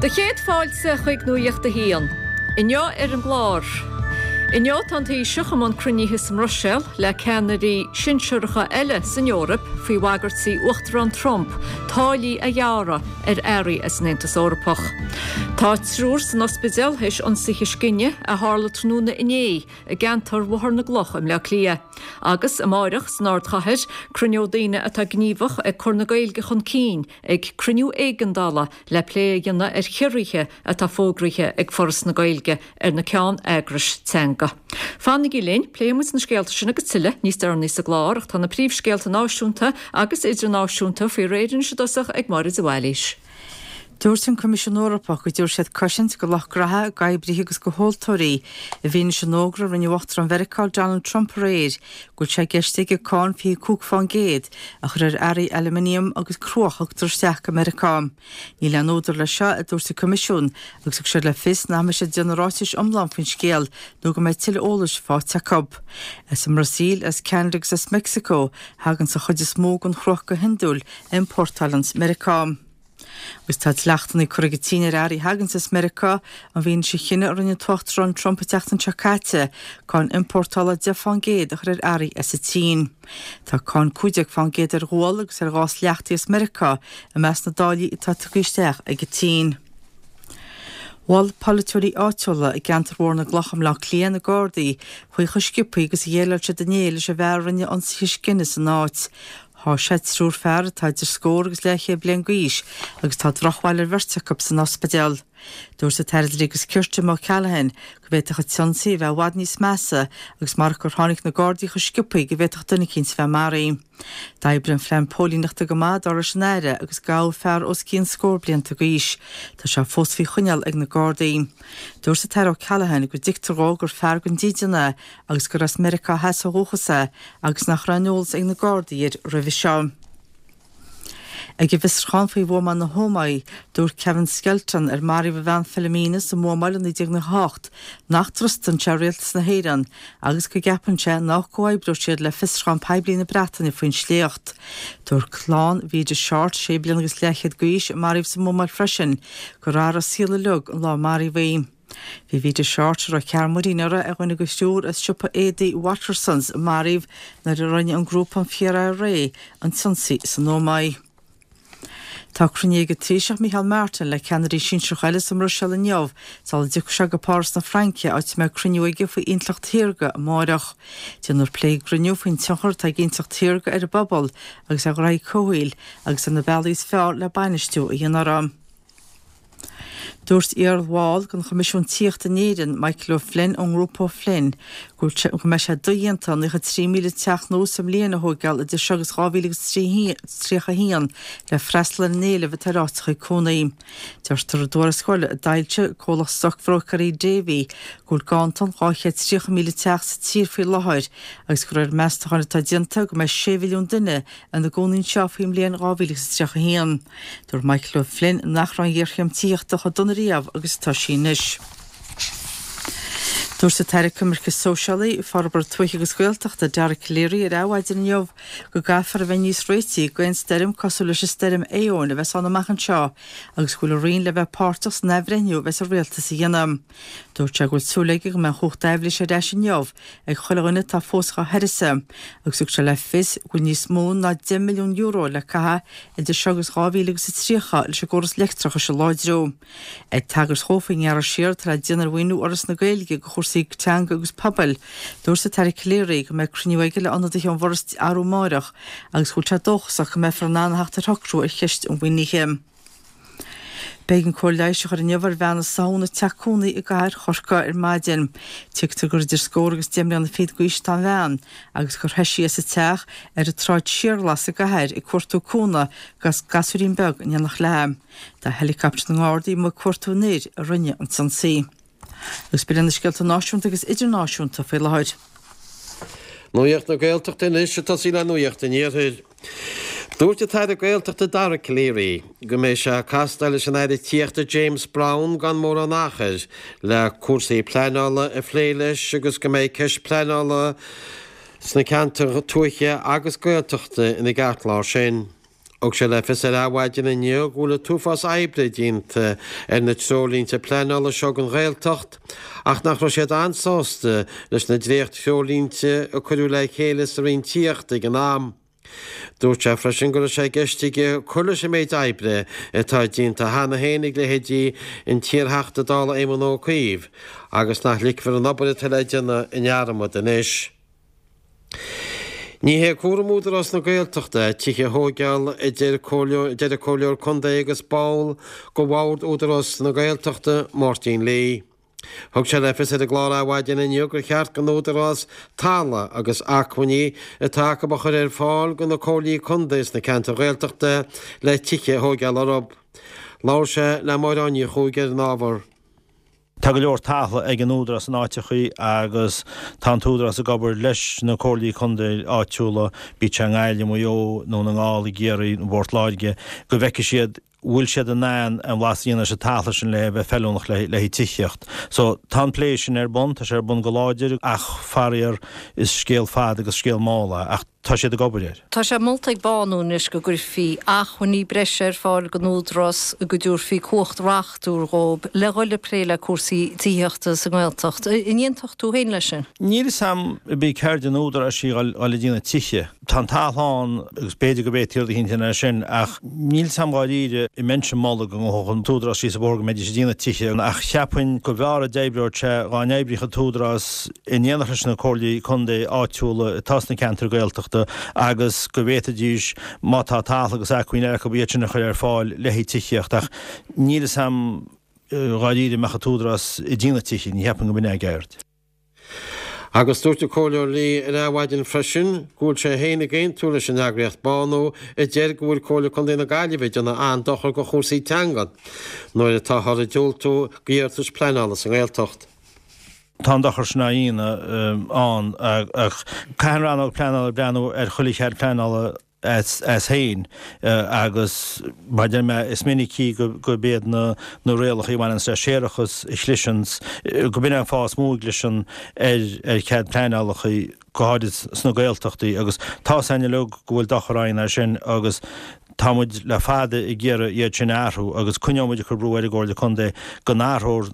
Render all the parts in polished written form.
Do chéad fáilte chuig Nuacht a hAon. Inniu ar an gclár. Inniu tá an Taoiseach i mbun cruinnithe sa mBruiséil le ceannairí sinsearacha eile san Eoraip faoi bhagairtí Uachtarán Trump táillí a ghearradh ar earraí as an Aontas Eorpach. Tá triúr san ospidéal théis ionsaithe scine a tharla tráthnóna inné i gceantar Bhóthar na gCloch i mBleá Cliath. Agus amáireach san ardchathair, cruinneoidh daoine atá gníomhach ag cur na Gaeilge chun cinn ag cruinniú éigeandála le plé a dhéanamh ar chiorruithe atá fógraithe ag Foras na Gaeilge ar na ceann-eagrais teanga. Fanaigí linn, pléifidh muid na scéalta sin agus tuilleadh níos deireanaí sa gclár ach tá na príomhscéalta náisiúnta agus idirnáisiúnta faoi réir anois i dtosach ag Máire de Bhailís. Dúirt an Coimisiún Eorpach go dtabharfaidh siad cosaint do lucht graithe, d'oibrithe agus do thomhaltóirí i bhfianaise an fhógra a rinne Uachtarán Mheiriceá Donald Trump aréir go bhfuil sé i gceist aige cáin 25% a chur ar earraí aluminium agus cruach a thugtar isteach go Meiriceá. Níl aon údar leis seo, a dúirt an Coimisiún, agus thug siad le fios nach mbeidh siad ag déanamh ráitis iomlán faoin scéal nó go mbeidh tuilleadh eolais faighte acu. As an mBrasaíl, as Ceanada agus as Meicsiceo a thaganns an chuid is mó den chruach go hiondúil a iompórtálanns Meiriceá. Agus tá dleachtanna curtha ag an tSín ar earraí a thaganns as Meiriceá, i bhfianaise chinneadh a rinne an tUachtarán Trump an tseachtain seo caite cáin iompórtála 10% a chur ar earraí as an tSín. Tá cáin 15% ar ghual agus ar ghás leachtaithe as Meiriceá i measc na dtáillí atá tugtha isteach ag an tSín. Mhol polaiteoirí áitiúla i gceantar Bhóthar na gCloch i mBleá Cliath na Gardaí faoi chomh sciobtha agus a dhéileáil siad inné leis an bhfear a rinne ionsaithe scine san áit. Sháigh sé triúr fear atá idir scór agus leathchéad bliain d'aois agus tá drochbhail ar bheirt acu san ospidéal. Dúirt an tAire Dlí agus Cirt Jim O'Callaghan go bhféadfadh an t-ionsaí a bheith i bhfad níos measa agus marach gur tháinig na Gardaí chomh sciobtha go bhféadfadh duine eicínt a bheith maraithe. D'oibrigh an phlean póilíneachta go maith dar leis an Aire agus gabhadh fear os cionn scór blianta d'aois. Tá sé fós faoi choinneáil ag na Gardaí. Dúirt an tAire O'Callaghan go dtuigtear dhó gur fear gan dídean é agus gur as Meiriceá Theas ó dhúchas é agus nach raibh aon eolas ag na Gardaí air roimhe seo. Ag an bhfiosrúchán faoi bhuamáil na hÓmaí, dúirt Kevin Skelton, ar maraíodh a bhean Philomena sa mbuamáil i 1998, nach dtrustann sé rialtas na hÉireann agus go gceapann sé nach gcomhoibreoidh siad le fiosrúchán poiblí na Breataine faoin sléacht. Dúirt clann Vida Shortt, sé bliana agus leathchéad d'aois, a maraíodh sa mbuamáil freisin, gur athraigh a saol uilig an lá a maraíodh í. Bhí Vida Shortt, a raibh cearr muirín uirthi, ar dhuine de thriúr as siopa éadaí Wattersons a maraíodh nuair a rinne an grúpa an Fíor-IRA an t-ionsaí san Ómaigh. Tá cruinniú ag an Taoiseach Micheál Martin le ceannairí sinsearacha eile sa mBruiséil inniu sula dtiocfaidh sé go Páras na Fraince áit a mbeidh cruinniú aige faoi intleacht shaorga amáireach. Déanfar plé ag an gcruinniú faoin tionchar atá ag intleacht shaorga ar an bpobal agus ar ghraithí comhshaoil agus ar na bealaí is fearr le bainistiú a dhéanamh orthu. Dúirt iarbhall den Choimisiún Tithíochta in Éirinn, Michael O'Flynn ón ngrúpa O'Flynn, go mbeidh sé dodhéanta 93,000 teach nua sa mbliain a thóigeáil idir seo agus 2031 le freastal ar an éileamh atá ar áiteacha cónaí. Deirtear i dtuarascáil a d'fhoilsigh comhlacht stocbhróicéirí Davy go bhfuil ganntan 230,000 teach sa tír faoi láthair agus de réir meastacháin atá déanta go mbeidh 6 mhilliún duine ina gcónaí anseo faoin mbliain 2031. Dúirt Michael O'Flynn nach raibh an ghéarchéim tithíochta chomh dona riamh agus atá sí anois. Dúirt an tAire Coimirce Sóisialaí, Forbartha Tuaithe agus Gaeltachta, Dara Calleary ar Adhmhaidin inniu go gcaithfear a bheith níos réití d'aon stoirm cosúil leis an stoirm Éowyn a bheas ann amach anseo agus go bhfuil a Roinn le bheith páirteach san athbhreithniú a bheas an Rialtas a dhéanamh. Dúirt sé go bhfuil súil aige go mbeidh an chumhacht aibhléise ar ais inniu ag chuile dhuine atá fós dhá huireasa agus thug sé le fios go bhfuil níos mó ná €10 milliún le caitheamh idir seo agus 2030 leis an gcóras leictreachais a láidriú. Ag tagairt dhó faoin ngearradh siar atá le déanamh ar mhaoiniú Fhoras na Gaeilge do chúrsaí teanga agus pobail, dúirt an tAire Calleary go mbeidh cruinniú aige le ionadaithe ón bhForas arú amáireach agus go bhfuil sé dóchasach go mbeifear in ann a theacht ar shocrú ar cheist an mhaoinithe. B'éigean cóir leighis a chur inniu ar bhean a sáthadh ina teach cónaí i gcathair Chorcaí ar maidin. Tuigtear gur idir scór agus deich mbliana fichead d'aois atá an bhean agus gur theith sí as a teach ar an tSráid Siarghlas sa gcathair ag cuartú cúnamh agus gasúirín beag in éineacht léi. Tá helicopter na nGardaí amuigh ag cuartú an fhir a rinne an t-ionsaí. Agus b'in iad na scéalta náisiúnta agus idirnáisiúnta faoi láthair. Nuacht na Gaeltachta anois ag tosaí le Nuacht an Iarthair. Dúirt an tAire Gaeltachta Dara Calleary go mbeidh sé ag castáil leis an Aire Tithíochta James Browne gan mórán achair le cúrsaí pleanála a phlé leis agus go mbeidh ceist pleanála sna ceantair tuaithe agus Gaeltachta ina gceartlár sin. Thug sé le fios ar Adhmhaidin inniu go bhfuil an t-uafás oibre déanta ar na treoirlínte pleanála seo don Ghaeltacht ach nach raibh siad an-sásta leis na dréacht-threoirlínte a cuireadh le chéile sa Roinn Tithíochta ag an am. Dúirt sé freisin go raibh sé i gceist aige cur leis an méid oibre atá déanta cheana féin ag leithéidí an t-iarTheachta Dála Éamon Ó Cuív agus nach ligfear an obair atá le déanamh i ndearmad anois. Ní hé cúram Údarás na Gaeltachta tithe a thóigeáil a deir an Comhairleoir Contae agus ball de Bhord Údarás na Gaeltachta, Máirtín Lee. Thug sé le fios ar an gclár Adhmhaidin inniu gur cheart don Údarás talamh agus acmhainní atá acu a chur ar fáil do na Comhairlí Contae sna ceantair Ghaeltachta le tithe a thóigeáil orthu. Labhair sé le Máire Áine Ní Chuaig ar an ábhar. Tá go leor talamh ag an Údarás in áiteachaí agus tá an tÚdarás ag obair leis na Comhairlí Contae áitiúla, bíodh sé i nGaillimh, Maigh Eo, Dún na nGall, i gCiarraí nó i bPort Láirge, go bhfeicfidh siad bhfuil siad in ann aon bhlas a dhéanamh leis an talamh sin le bheith feiliúnach le haghaidh tithíocht. So, tá an plé sin ar bun, tá sé ar bun go láidir ach faraor is scéal fada agus scéal mall é ach tá siad ag obair air. Tá sé molta ag Bánú anois go gcuirfí acmhainní breise ar fáil don Údarás, go dtabharfaí cumhacht reachtúil dhóibh le dhul ag plé le cúrsaí tithíochta sa nGaeltacht. An aontódh tú féin leis sin? Níl fhios a'm ab í ceird an Údaráis í dhul ag déanamh tithe. Tá an talamh ann agus b'fhéidir go bhféadfaí rud eicínt a dhéanamh air sin ach níl 's a'm dháiríre an mbeinnse ag moladh go ngabhfadh an tÚdarás síos an bóthar go mbeidís ag déanamh tithe ach cheapfainn go mb'fhearr a d'oibreodh sé dhá n-oibríodh an tÚdarás in éineacht leis na comhairlí contae áitiúla atá sna ceantair Gaeltachta agus go bhféadfaidís má tá talamh agus acmhainn eile acu iad sin a chur ar fáil le haghaidh tithíocht ach níl 'fhios a'm dháiríre an mbeadh an tÚdarás ag déanamh tithe, ní cheapaim go mb'in é a gceird. Agus dúirt an Comhairleoir Lee ar Adhmhaidin freisin go bhfuil sé féin ag aontú leis an eagraíocht Bánú a deir go bhfuil Comhairle Contae na Gaillimhe ag déanamh an-dochar do chúrsaí teanga nuair atáthar ag diúltú d'iarratais pleanála sa nGaeltacht. Tá an dochar sin á dhéanamh ann ach caithfidh an rannóg pleanála breathnú ar chuile chead pleanála as féin agus mar a deir mé, is minicí gurb iad na rialacha a bhaineanns le séarachas a chliseanns, go b'in é an fáth is mó a gcliseann ar chead pleanálacha, go háirid sna Gaeltachtaí agus tá 's againn uilig go bhfuil dochar á dhéanamh air sin agus tá muid le fada ag iarraidh iad sin a athrú agus coinneoidh muid ag cur brú ar an gComhairle Contae go n-athrófar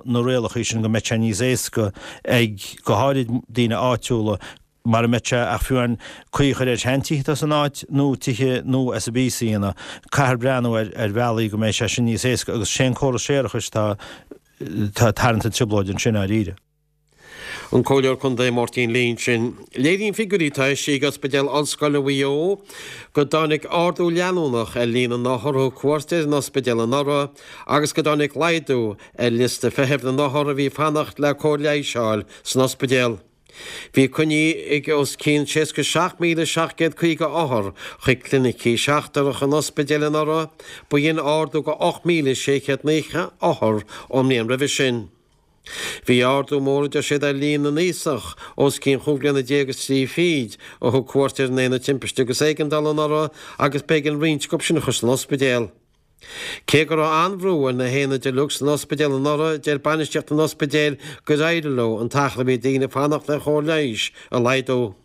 na rialacha sin go mbeidh sé níos éasca ag, go háirid daoine áitiúla, mara mbeidh sé ach fiú amháin caoi a chur ar sheantithe atá san áit nó tithe nua as an bpíosa a dhéanamh. Caithfear breathnú ar ar bhealaí go mbeidh sé sin níos éasca agus sé an córas séarachais atá ag tarraingt an trioblóid ansin dháiríre. An Comhairleoir Contae Máirtín Lee ansin. Léiríonn figiúirí atá eisithe ag Ospidéal Ollscoile Mhaigh Eo go dtáinig ardú leanúnach ar líon na n-othar a thug cuairt ar an ospidéal anuraidh agus go dtáinig laghdú ar liosta feithimh na n-othar a bhí ag fanacht le cóir leighis a fháil san ospidéal. Bhí coinní ag os cionn 67,750 othar chuig clinicí seachtracha an ospidéil anuraidh, ba shin ardú de 8,690 othar ón mbliain roimhe sin. Bhí ardú mór, a deir siad, ar líon na n-aosach os cionn chúig bliana déag is trí fichid a thug cuairt ar an Aonad Timpiste agus Éigeandála anuraidh agus b'éigean roinnt acu sin a chur san ospidéal. Cé go raibh an-bhrú ar na haonaid uilig san ospidéal anuraidh, deir bainistíocht an ospidéil gur éirigh leo an t-achar a bhí daoine ag fanacht le chóir leighis a laghdú.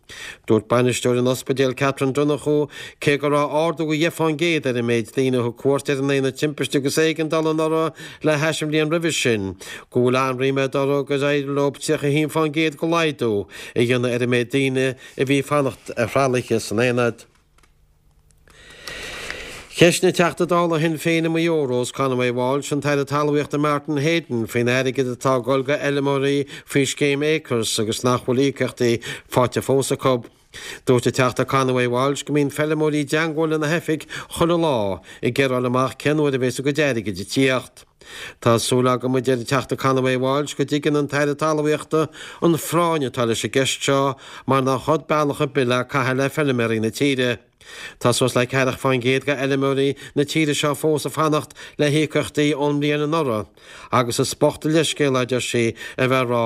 Dúirt bainisteoir an ospidéil Catherine Donoghue cé go raibh ardú de 10% ar an méid daoine a thug cuairt ar an aonad timpiste agus éigeandála anuraidh le hais an bhliain roimhe sin, go bhfuil an-ríméad orthu gur éirigh leo 31% de laghdú a dhéanamh ar an méid daoine a bhí ag fanacht ar thralaithe san aonad. Cheistigh an Teachta Dála Shinn Féin i Maigh Eo, Rose Conway Walsh, an tAire Talmhaíochta Martin Heydon faoin airgead atá ag dul go fheilmeoirí faoi scéim Acres agus nach bhfuil íocaíochtaí faighte fós acu. Dúirt an Teachta Conway Walsh go mbíonn feilmeoirí i dteangmháil lena hoifig chuile lá ag iarraidh fháil amach cén uair a bhéas a gcuid airgid ag tíocht. Tá súil agam, a deir an Teachta Conway Walsh, go dtuigeann an tAire Talmhaíochta an phráinn atá leis an gceist seo mar nach rud bealach ar bith le caitheamh le feilméaraí na tíre. Tá suas le 40% de fheilméaraí na tíre seo fós ag fanacht le híocaíochtaí ón mbliain anuraidh agus is bocht an leithscéal é, a deir sí, a bheith ag rá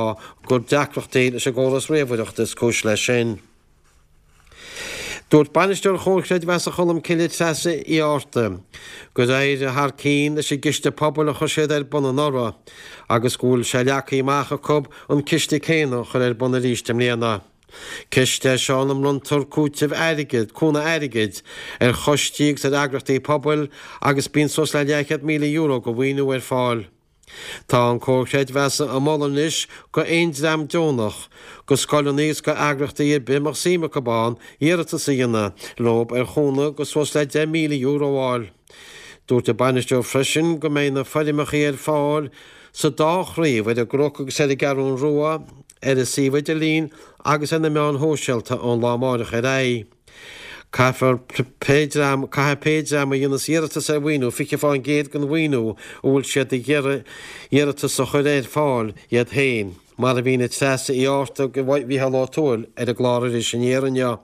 gur deacrachtaí leis an gcóras ríomhaireachta is cúis leis sin. Dúirt Bainisteoir Chomhar Creidmheasa Cholmcille Treasa Uí Fhátharta gur éirigh thar cionn leis an gciste pobail a chuir siad ar bun anuraidh agus go bhfuil sé leagtha amach acu an ciste céanna a chur ar bun arís i mbliana. Ciste é seo ina mbronntar cúiteamh airgid, cúnamh airgid, ar choistí agus ar eagraíochtaí pobail agus bíonn suas le €200,000 de mhaoiniú ar fáil. Tá an Comhar Creidmheasa ag moladh anois go aon dream deonach, go scoileanna agus go eagraíochtaí ar bith a mbeadh suim acu ann iarratas a dhéanamh leob ar chúnamh go suas le €10,000 a fháil. Dúirt an bainisteoir freisin go mbeidh na foirmeachaí ar fáil sa dá chraobh, ar an gCnoc agus ar an gCeathrún Rua, ar an suíomh idirlín agus ar na meáin shóisialta ón lá amáireach ar aghaidh. Caithfear pé dream, caithfidh pé dream a dhéanas iarratas ar mhaoiniú 20% den mhaoiniú a bhfuil siad ag iarraidh iarratas a chur ar fáil iad féin, mar a mhínigh Treasa Uí Fhátharta go Mhícheál Ó Tuathail ar an gclár Iris Aniar inniu.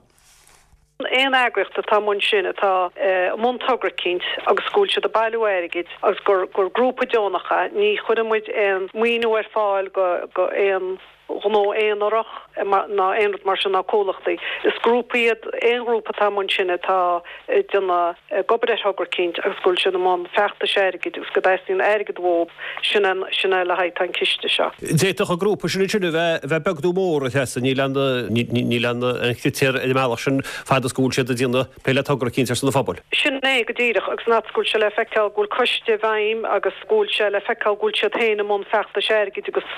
Aon eagraíocht atá i mbun sin, atá i mbun togra eicínt agus go bhfuil siad ag bailiú airgid agus gur gur grúpa deonach é, ní chuireann muid aon maoiniú ar fáil go go aon ghnó aonarach ná aon rud mar sin ná comhlachtaí. Is grúpa iad aon ghrúpa atá i mbun sin atá ag déanamh ag obair ar thogra eicínt agus go bhfuil siad i mbun feachtais airgid agus go dteastaíonn airgead uathu, sin é sin é le haghaidh atá an ciste seo. D'fhéadfadh an grúpa sin ansin a bheith a bheith beag nó mór, a Threasa, níl aon níl aon chritéar ar an mbealach sin fad is go bhfuil siad ag déanamh plé le togra eicínt ar son an phobail. Sin é go díreach, agus an fhad is go bhfuil sé le feiceáil go bhfuil coiste i bhfeidhm agus go bhfuil sé le feiceáil go bhfuil siad féin i mbun feachtais airgid agus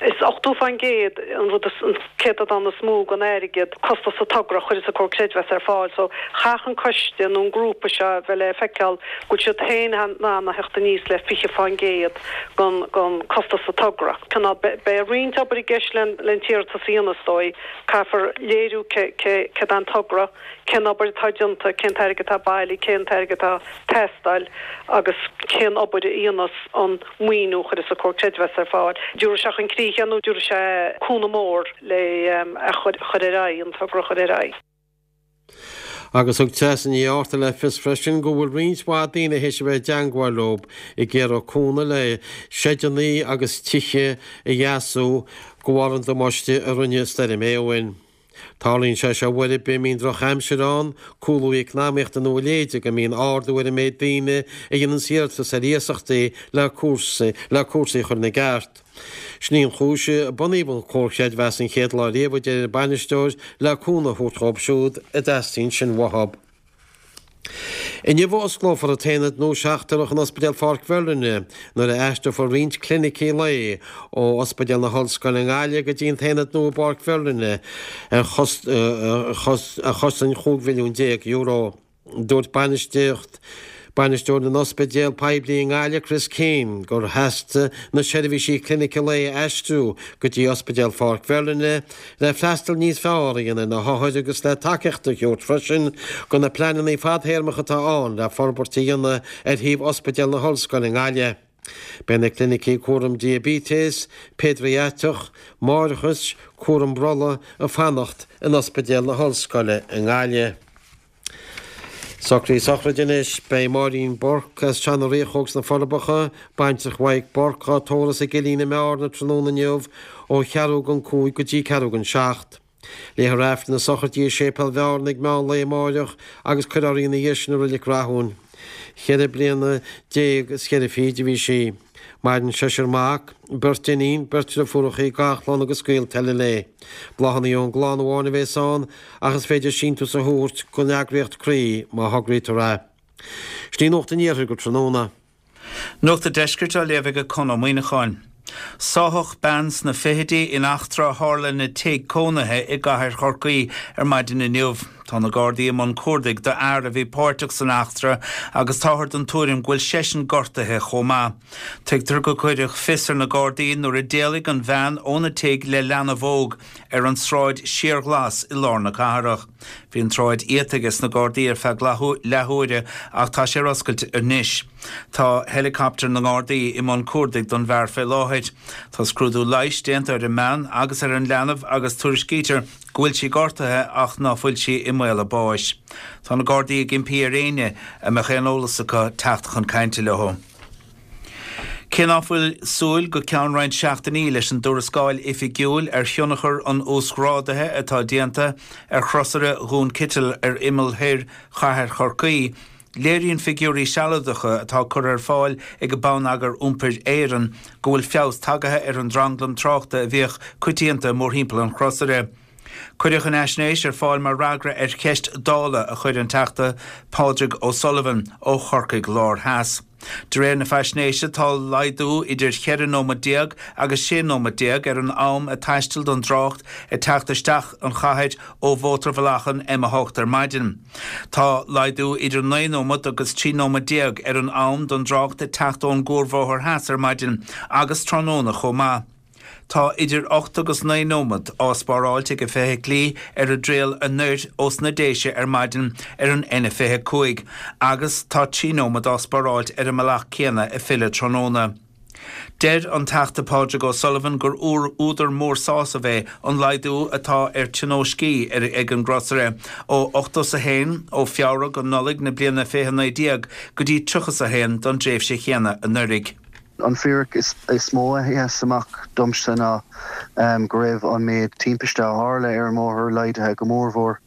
is 80% an rud is, an céatadán is mó den airgead, costas an togra, a chuireas an Comhar Creidmheasa ar fáil. So chaithfeadh an coiste nó an grúpa seo a bheith le feiceáil go bhfuil siad féin in ann a theacht aníos le 20% den, den costas an togra. Cineál, beidh roinnt obair i gceist len, len t-iarratas a dhéanamh is dóigh. Caithfear léiriú cé, cé, céard é an togra. cén obair atá déanta, cén t-airgead atá bailithe, cén t-airgead atá ag teastáil agus cén obair a dhéanas an maoiniú a chuireas an Comhar Creidmheasa ar fáil. Dtabharfaidh sé chun críche é nó dtabharfaidh sé cúnamh mór le a chur ar aghaidh, an togra a chur ar aghaidh. Agus thug Treasa Ní Fhátharta le fios freisin go bhfuil roinnt mhaith daoine théis a bheith i dteangmháil leo ag iarraidh cúnamh le seideanna agus tithe a dheasú de bharr an damáiste a rinne Stoirm Éowyn. Tarlaíonn sé seo uair ar bith a mbíonn drochaimsir ann, cúlú eacnamaíochta nó a leithéide go mbíonn ardú ar an méid daoine a dhéananns iarratas ar iasachtaí le cúrsaí le cúrsaí a chur ina gceart. Sin í an chúis a bunaíodh an Comhar Creidmheasa an chéad lá riamh, a deir an bainisteoir, le cúnamh a thabhairt dhóibh siúd a dteastaíonn sin uathu. Inniu a osclófar an t-aonad nua seachtrach in Ospidéal Pháirc Mherlin nuair a aistreofar roinnt clinicí lae ó Ospidéal na hOllscoile i nGaillimh go dtí an t-aonad nua i bPáirc Mherlin ar chosain €15 mhilliún. Dúirt bainistíocht Bainisteoir na n-ospidéal poiblí i nGaillimh, Chris Keane, gur theastaigh na seirbhísí clinice lae a aistriú go dtí Ospidéal Pháirc Mherlin le freastal níos fearr a dhéanamh ar na hothair agus le tacaíocht a thabhairt freisin do na pleananna fadthéarmacha atá ann le forbairt a dhéanamh ar shuíomh Ospidéal na hOllscoile i nGaillimh. Beidh na clinicí cúram diaibéitis, péidiatrach, máithreachais, cúram brollaigh ag fanacht in Ospidéal na hOllscoile i nGaillimh. Socruithe sochraide anois. Beidh Máirín Burke as Teach na Riachóg sna Forbacha, baintreach Mhaidhc Burke, á tórramh sa gCillín i mBearna tráthnóna inniu ó cheathrú don chúig go dtí ceathrú don seacht. Léifear Aifreann na sochraide i Séipéal Bhearna ag meán lae amáireach agus cuirfear í ina dhiaidh sin i Reilig Rathúin. Cheithre bliana déag is cheithre fichid a bhí sí. Maireann seisear mac, beirt iníon, beirt driofúrachaí, garchlann agus gaolta eile léi. Bláthanna ón gclann amháin a bhéas ann ach is féidir síntiús a thabhairt don eagraíocht Croí má thograítear é. Sin í Nuacht an Iarthair go tráthnóna. Nuacht an Deiscirt á léamh ag Conn Ó Muíneacháin. Sáthadh bean sna fichidí in eachtra a tharla ina tigh cónaithe i gcathair Chorcaí ar maidin inniu. Tá na Gardaí i mbun cuardaigh do fhear a bhí páirteach san eachtra agus táthar den tuairim go bhfuil seisean gortaithe chomh maith. Tuigtear go cuireadh fios ar na Gardaí nuair a d'éalaigh an bhean óna tigh le leanbh óg ar an tSráid Síorghlas i lár na cathrach. Bhí an tsráid iata ages na Gardaí ar feadh leathuaire ach tá sé ar oscailt anois. Tá heileacaptar na nGardaí i mbun cuardaigh don bhfear fé láthair. Tá scrúdú leighis déanta ar an mbean agus ar an leanbh agus tuairiscítear go bhfuil sí gortaithe ach ná fuil sí i mbaol a báis. Tá na Gardaí ag impí ar éinne a mbeadh aon eolas acu teacht chun cainte leo. Cé ná fuil súil go ceann roinnt seachtainí leis an dtuarascáil oifigiúil ar thionchar an uasghrádaithe atá déanta ar chrosaire Dhún Citil ar imeall thoir chathair Chorcaí, léiríonn figiúirí sealadacha atá curtha ar fáil ag Bonneagar Iompair Éireann go bhfuil feabhas tagaithe ar an dtranglam tráchta a bhíodh coitianta mórthimpeall an chrosaire. Cuireadh an fhaisnéis ar fáil mar fhreagra ar cheist Dála a chuir an Teachta Pádraig O'Sullivan ó Chorcaigh Láir Theas. De réir na faisnéise, tá laghdú idir 14 nóiméad agus 16 nóiméad ar an am a taistil don dtrácht ag teacht isteach an chathair ó mhótarbhealach an M8 ar maidin. Tá laghdú idir 9 nóiméad agus 13 nóiméad ar an am don dtrácht ag teacht ón gCuarbhóthar Theas ar maidin agus tráthnóna chomh maith. Tá idir 8 agus 9 nóiméad á spáráilt ag feithiclí ar a dtriall anoir ós na Déise ar maidin ar an N25 agus tá 3 nóiméad á spáráilt ar an mbealach céanna ag filleadh tráthnóna. Deir an Teachta Pádraig O'Sullivan gur údar mór sásaimh é an laghdú atá ar tionóiscí ag an gcrosaire ó 81 ó Feabhra go Nollaig na bliana 2019 go dtí 31 don dtréimhse chéanna anuraidh. An fíric is mó a sheas amach domsa ná go raibh an méid timpiste a tharla ar an mbóthar laghdaithe go mórmhór.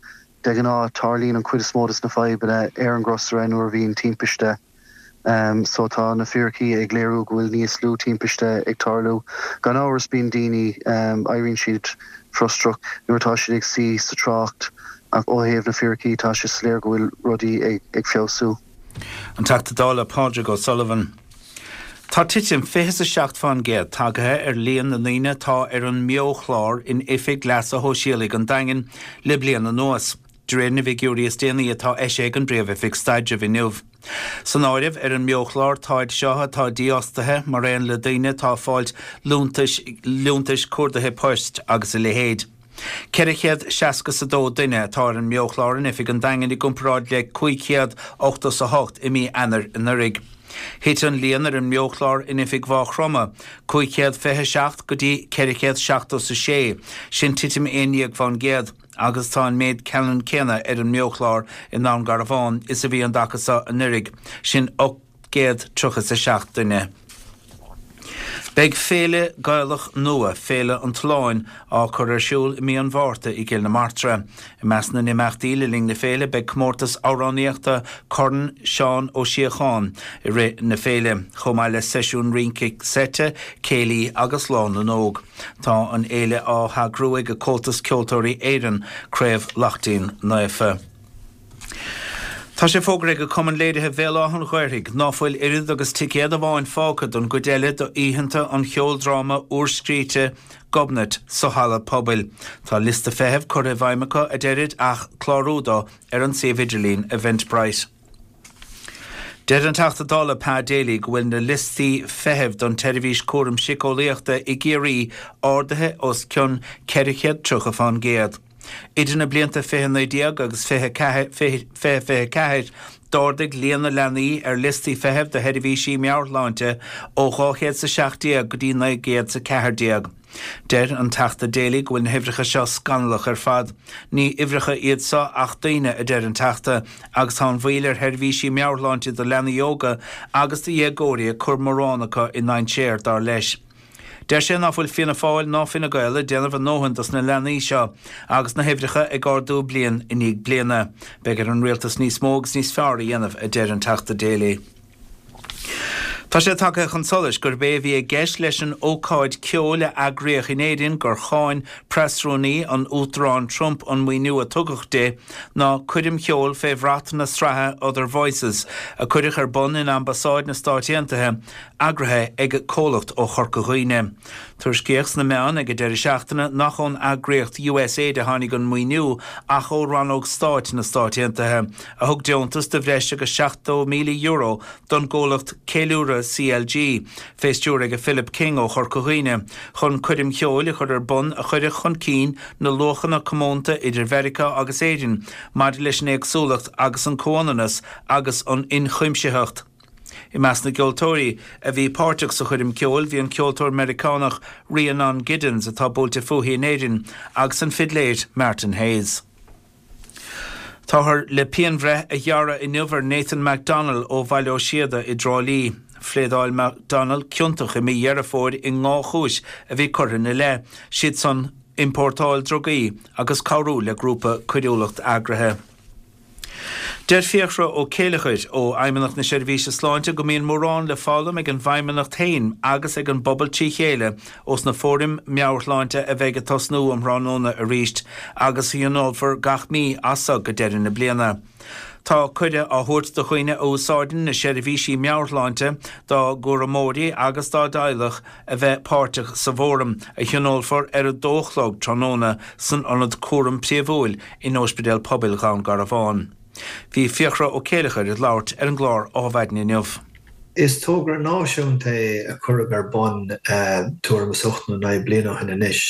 De ghnáth, tarlaíonn an chuid is mó de na fadhbanna ar an gcrosaire nuair a bhíonn timpiste so tá na fíricí ag léiriú go bhfuil níos lú timpiste ag tarlú. Gan amhras bíonn daoine, éiríonn siad frustrach nuair atá siad ag suí sa trácht ach ó thaobh na fíricí tá sé soiléir go bhfuil rudaí ag feabhsú. An Teachta Dála Pádraig O'Sullivan. Tá titim 27 fán gcéad tagaithe ar líon na ndaoine atá ar an mBeo-chlár in Oifig Leasa Shóisialaigh an Daingin le bliain anuas, de réir na bhfigiúirí is déanaí atá eisithe ag an bPríomh-Oifig Staidrimh inniu. San áireamh ar an mBeo-chlár táid seo atá dífhostaithe, mar aon le daoine atá ag fáilt liúntais, liúntais cuardaithe poist agus a leithéid. 462 duine atá ar an mBeo-chlár in oifig an Daingin i gcomparáid le 588 i mí Eanáir anuraidh. Thit an líon ar an mBeo-chlár in oifig Mhaigh Chromtha, 527 go dtí 476, sin titim 11 fán gcéad, agus tá an méid ceannann céanna ar an mBeo-chlár i nDún Garbhán is a bhí an dtaca seo anuraidh, sin 837 duine. Beidh féile Gaelach nua, Féile an tSuláin, á cur ar siúl i mí an Mhárta i gCill na Martra. I measc na n-imeachtaí le linn na féile beidh comórtas amhránaíochta Corn Seán Ó Síocháin i rith na féile, chomh maith le seisiún rince seite, céilí agus Lá na nÓg. Tá an fhéile á heagrú ag Comhaltas Ceoltóirí Éireann, Craobh Laichtín Naofa. Tá sé fógartha ag Cumann Léirithe Bhéal Átha an Ghaorthaidh ná fuil oiread agus ticéad amháin fágtha don gcuid eile d'oícheanta an cheoldráma úrscríte Gobnait sa Halla Pobail. Tá liosta feithimh curtha i bhfeidhm acu, a deirid, ach clárú dó ar an suíomh idirlín Eventbrite. Deir an Teachta Dála Pa Daly go bhfuil na liostaí feithimh don tseirbhís cúram síceolaíochta i gCiarraí ardaithe os cionn 430 fán gcéad. Idir na blianta 2019 agus 2024, d'ardaigh líon na leanaí ar liostaí feithimh do sheirbhísí meabhairshláinte ó 217 go dtí 914. Deir an Teachta Daly go bhfuil na huimhreacha seo scannalach ar fad. Ní uimhreacha iad seo ach daoine, a deir an Teachta, agus tá an mhoill ar sheirbhísí meabhairshláinte do leanaí óga agus do dhéagóirí ag cur mórán acu i ndainséar, dar leis. Deir sé ná fuil Fianna Fáil ná Fine Gael ag déanamh a ndóthain dos na leanaí seo agus na huimhreacha ag ardú bliain i ndiaidh bliana. Beidh ar an rialtas níos mó agus níos fearr a dhéanamh, a deir an Teachta Daly. Tá sé tagtha chun solais gurb é a bhí i gceist leis an ócáid ceoil a eagraíodh in Éirinn gur cháin preasrúnaí an Uachtaráin Trump an maoiniú a tugadh di ná coirm cheoil fé bhrat na sraithe Other Voices a cuireadh ar bun in Ambasáid na Stáit Aontaithe eagraithe ag comhlacht ó Chorca Dhuibhne. Tuairiscíodh sna meáin ag an deireadh seachtaine nach ón eagraíocht USAID a tháinig an maoiniú ach ó Rannóg Stáit na Stáit Aontaithe, a thug deontas de bhreis agus €70,000 don gcomhlacht Ceiliúradh CLG, fé stiúir ag Philip King ó Chorca Dhuibhne, chun coirm cheoil a chur ar bun a chuirfeadh chun cinn na luachanna comónta idir Mheiriceá agus Éirinn maidir leis an éagsúlacht agus an comhionannas agus an ionchuimsitheacht. I measc na gceoltóirí a bhí páirteach sa choirm ceoil bhí an ceoltóir Meiriceánach Rhiannon Giddens atá buailte fúithi in Éirinn agus an fidléir Martin Hayes. Táthar le pianbhreith a ghearradh inniu ar Nathan McDonnell ó Bhaile Ó Síoda i dTrá Lí. Phléadáil McDonnell ciontach i mí Dheireadh Fómhair i ndhá chúis a bhí curtha ina leith, siad san iompórtáil drugaí agus cabhrú le grúpa coiriúlacht eagraithe. Deir Fiachra Ó Céileachair ó Fheidhmeannacht na Seirbhíse Sláinte go mbíonn mórán le foghlaim ag an bhFeidhmeannacht féin agus ag an bpobal trí chéile ós na fóraim meabhairshláinte a bheidh ag tosnú um thráthnóna arís agus a thionólfar gach mí as so go deireadh na bliana. Tá cuireadh á thabhairt do dhaoine a úsáideann na seirbhísí meabhairshláinte, dá gcúramóirí agus dá dteaghlach a bheith páirteach sa bhfóram a thionólfar ar a dó a chlog tráthnóna san Ionad Cúraim Príomhúil in Ospidéal Pobail Dhún Garbhán. Bhí Fiachra Ó Céileachair ag labhairt ar an gclár Adhmhaidin inniu. Is togra náisiúnta é a cuireadh ar bun tuairim is 8 nó 9 bliana ó shin anois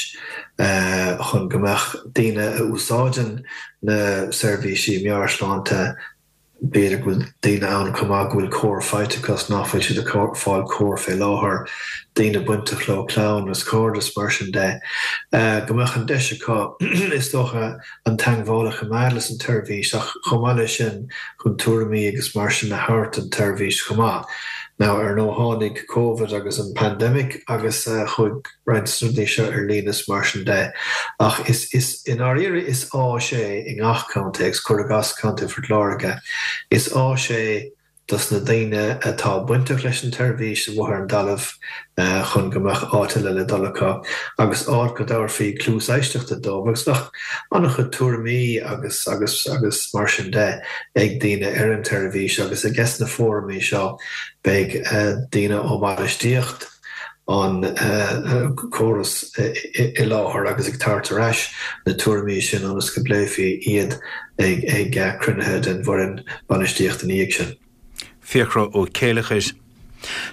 chun go mbeadh daoine a úsáideann na seirbhísí meabhairshláinte B'fhéidir go bhfuil daoine ann chomh maith go bhfuil cóir faighte acu is nach bhfuil siad ag fáil cóir fé láthair, daoine bainteach leo, clann agus cairde is mar sin de, go mbeadh an deis acu is dócha an teangmháil a choimeád leis an tseirbhís ach chomh maith leis sin chun tuairimí agus mar sin a thabhairt don tseirbhís chomh maith. Now ar ndóigh tháinig Covid agus an pandemic agus chuaigh roinnt de na rudaí seo ar líne is mar sin de. Ach is, is, i ndáiríre is áis é i ngach contae agus cuir i gcás Contae Phort Láirge, is áis é dos na daoine atá bainteach leis an tseirbhís amuigh ar an dtalamh chun go mbeadh áit eile le dul acu agus áit go dtabharfaí cluas éisteachta dóibh agus bheadh an-chuid tuairimí agus, agus, agus mar sin de ag daoine ar an tseirbhís agus ages na fóraimí seo beidh daoine ó bhainistíocht an córas i láthair agus ag tabhairt ar ais na tuairimí sin ionas go bpléifí iad ag cruinnithe den bhfoireann bainistíochta ina dhiaidh sin. Fiachra Ó Céileachair.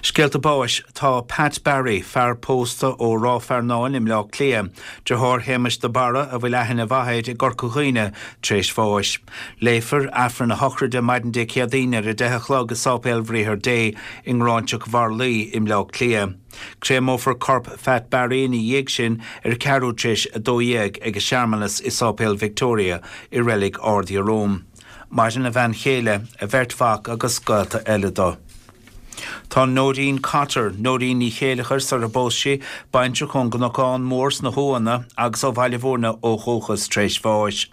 Scéalta báis Tá Pat Barry, fear pósta ó Ráth Fearnáin i mBleá Cliath, deartháir Shéamais de Barra a bhfuil aithne mhaith air i gCorca Dhuibhne, tar éis bháis. Léifear Aifreann a shochraide maidin Dé Céadaoin ar 10 a chlog i Sáipéal Bhriathar Dé i nGráinseach Mharlaí i mBleá Cliath. Créamófar corp Phat Barry ina dhiaidh sin ar ceathrú tar éis 12 ag searmanas i Sáipéal Victoria i Reilig Ard Iaróm. Maireann a bhean chéile, a bheirt mhac agus gaolta eile dó. Tá Nóirín Cotter, Nóirín Ní Chéileachair sar a bpós sí, baintreach ón gCnocán Mór sna hUamhanna agus ó Bhaile Bhúirne ó dhúchas tar éis bháis.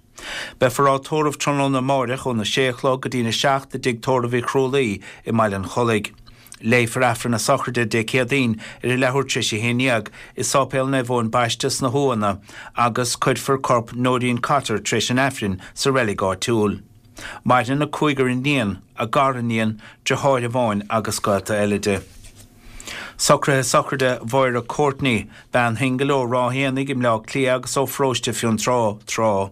Beifear á tórramh tráthnóna amáireach óna sé a chlog go dtína 7 i dTigh Tórraimh Uí Chrualaoi i mBaile an Chollaigh. Léifear Aifreann na sochraide Dé Céadaoin ar a leathuair tar éis a 11 i Sáipéal Naomh Eoin Baiste sna hUamhanna agus cuirfear corp Nóirín Cotter tar éis an Aifrinn sa reilig áitiúil. Maireann a cúigear iníon, a gariníon, deartháir amháin agus gaolta eile di. Socruithe sochraide Mháire Courtney, bean shingil ó Ráth Éanaigh i mBleá Cliath agus ó Pharóiste Fionntrá, tráth.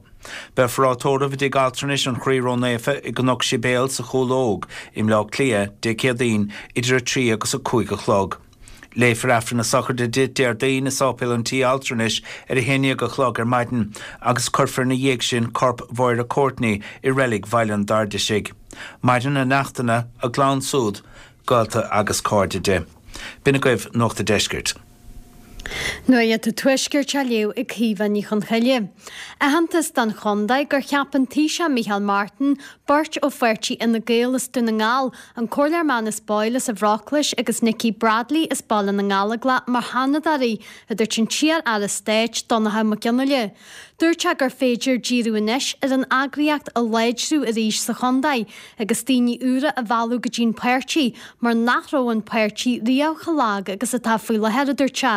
Beifear á tórramh i dTigh Altranais an Chroí Ró-Naofa i gCnoc Sibéal sa Chúil Óg i mBleá Cliath, Dé Céadaoin, idir 3 agus 5 a chlog. Léifear Aifreann na sochraide di Déardaoin i Sáipéal an Tí Altranais ar 11 a chlog ar maidin agus cuirfear ina dhiaidh sin corp Mháire Courtney i reilig Bhaile an Dairdisigh. Maireann a neachtanna, a gclann súd, gaolta agus cairde di. B'in agaibh Nuacht a' Deiscirt. Nuacht an Tuaiscirt á léamh ag Caoimhe Ní Chonchoille. Aitheantas don chontae gur cheap an Taoiseach Micheál Martin beirt ó pháirtí Fhine Gael as Dún na nGall, an Comhairleoir Manus Boyle as an Bhróclais agus Nikki Bradley as Baile na nGallóglach mar Sheanadóirí, a dúirt an t-iar-aire stáit Donnchadh Mac Fhionnghaile. Dúirt sé gur féidir díriú anois ar an eagraíocht a láidriú arís sa chontae agus daoine úra a mhealladh go dtí'n páirtí mar nach raibh an páirtí riamh chomh lag agus atá faoi láthair, a dúirt sé.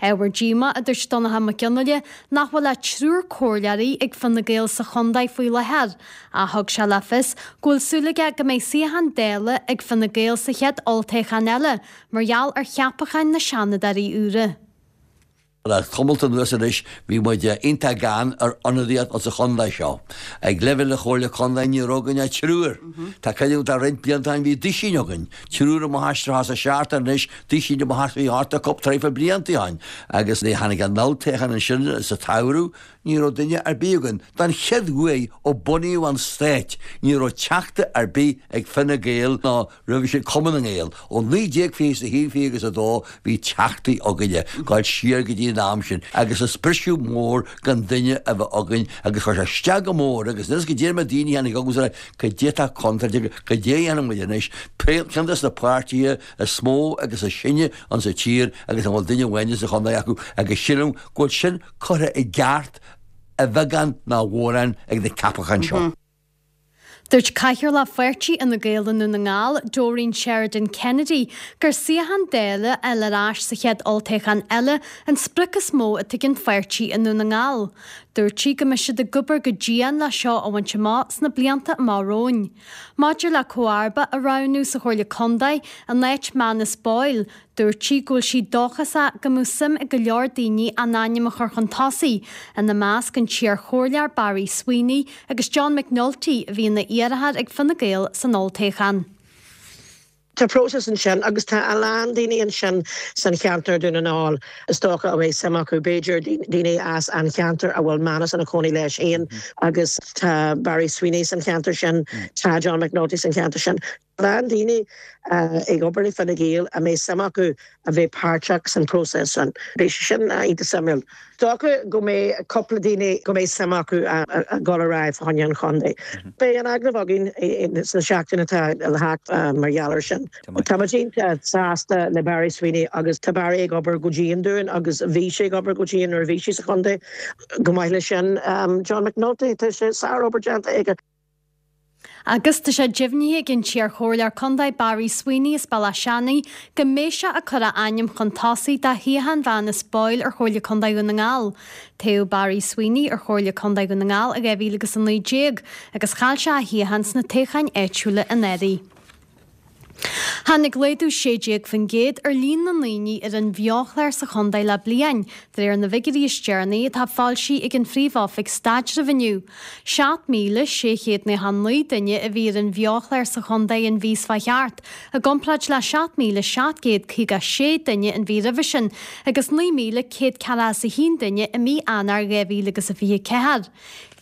Ábhar díomá, a dúirt Donnchadh Mac Fhionnghaile, nach bhfuil ach triúr comhairleoirí ag Fine Gael sa chontae faoi láthair. Ach thug sé le fios go bhfuil súil aige go mbeidh suíochán Dála ag Fine Gael sa chéad olltoghchán eile mar gheall ar cheapacháin na Seanadóirí úra. Le tamalt anuas anois bhí muid iontach gann ar ionadaíocht insa chontae seo. Ag leibhéal na Chomhairle Contae ní raibh againn ach triúr. Tá cuimhne agam tá roinnt blianta ó shin bhí duisín againn, triúr amach as 37 anois, duisín amach as 28 traidhfil blianta ó shin. Agus nuair a tháinig an olltoghchán ansin sa tsamhradh ní raibh duine ar bith againn. Don chéad uair ó bunaíodh an Stát ní raibh teachta ar bith ag Fine Gael ná Roimhe sin Cumann na nGael. Ó 1921, 20 agus 2 bhí teachtaí againne, gabháil siar go dtí an am sin agus is briseadh mór gan duine a bheith againn agus chuir sé isteach go mór agus níl 'fhios goidé mar daoine a tháinig agus a rá goidé atá contráilte, goidé a dhéanfaidh muid anois, ceann des na páirtithe is mó agus is sine insa tír agus an bhfuil duine amháin sa chontae acu agus sílim go bhfuil sin curtha i gceart a bheagán nó a mhórán ag na ceapacháin seo. Dúirt Cathaoirleach Pháirtí Fhine Gael i nDún na nGall, Doreen Sheridan Kennedy, gur suíochán Dála a fháil ar ais sa chéad olltoghchán eile an sprioc is mó atá ag an pháirtí i nDún na nGall. Dúirt sí go mbeidh siad ag obair go dian le seo a bhaint amach sna blianta amach romhainn. Maidir le comharba a roghnú sa Chomhairle Contae in áit Manus Boyle, Dúirt sí go bhfuil sí dóchasach go mbeadh suim ag go leor daoine a n-ainm a chur chun tosaigh, ina measc an t-iarchomhairleoir Barry Sweeney agus John McNulty a bhí ina iarrthóir ag Fine Gael san olltoghchán. Tá próiseas ansin agus tá a lán daoine ansin san cheantar Dún na nGall is dócha a mbeidh suim acu, b'fhéidir daoine as an cheantar a bhfuil Manus ina chónaí leis féin agus tá Barry Sweeney san cheantar sin, tá John McNulty san cheantar sin. lán daoine ag obair le Fine Gael a mbeidh suim acu a bheith páirteach san próiseas sin. Beidh sé sin iontach suimiúil. Is dócha go mbeidh cúpla daoine go mbeidh suim acu a dhul ar aghaidh fá choinne an chontae. Beidh an agallamh againn sna seachtain atá le theacht mar gheall ar sin. Tá muid iontach sásta le Barry Sweeney agus tá Barry ag obair go dian dúinn agus bhí sé ag obair go dian nuair a bhí sé sa chontae. Chomh maith leis sin John McNulty, tá sé sár-obair déanta aige. Agus tá sé deimhnithe ag an t-iarchomhairleoir contae Barry Sweeney as Bealach Seanaidh go mbeidh sé ag cur a ainm chun tosaigh do shuíochán Mhanus Boyle ar Chomhairle Contae Dhún na nGall. Toghadh Barry Sweeney ar Chomhairle Contae Dhún na nGall i 2019 agus chaill sé a shuíochán sna toghcháin áitiúla anuraidh. Tháinig laghdú 16% ar líon na ndaoine ar an bheo-chlár sa chontae le bliain, de réir na bhfigiúirí is deireanaí atá foilsithe ag an Phríomh-Oifig Staidrimh inniu. 7,699 duine a bhí ar an bheo-chlár sa chontae an mhí seo chuaigh thart, i gcomparáid le 7,756 duine an mhí roimhe sin agus 9,141 duine i mí Eanáir 2024.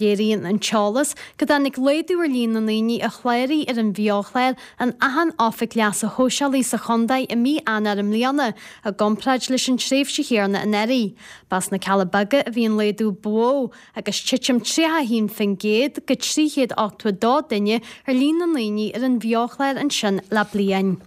Léiríonn an t-eolas go dtáinig laghdú ar líon na ndaoine a chláraigh ar an bheo-chlár in achan oifig leasa shóisialaigh sa chontae i mí Eanáir i mbliana i gcomparáid leis an tréimhse chéanna anuraidh. Ba sna Cealla Beaga a bhí an laghdú ba mhó, agus titim 31% go 382 duine ar líon na ndaoine ar an bheo-chlár ansin le bliain.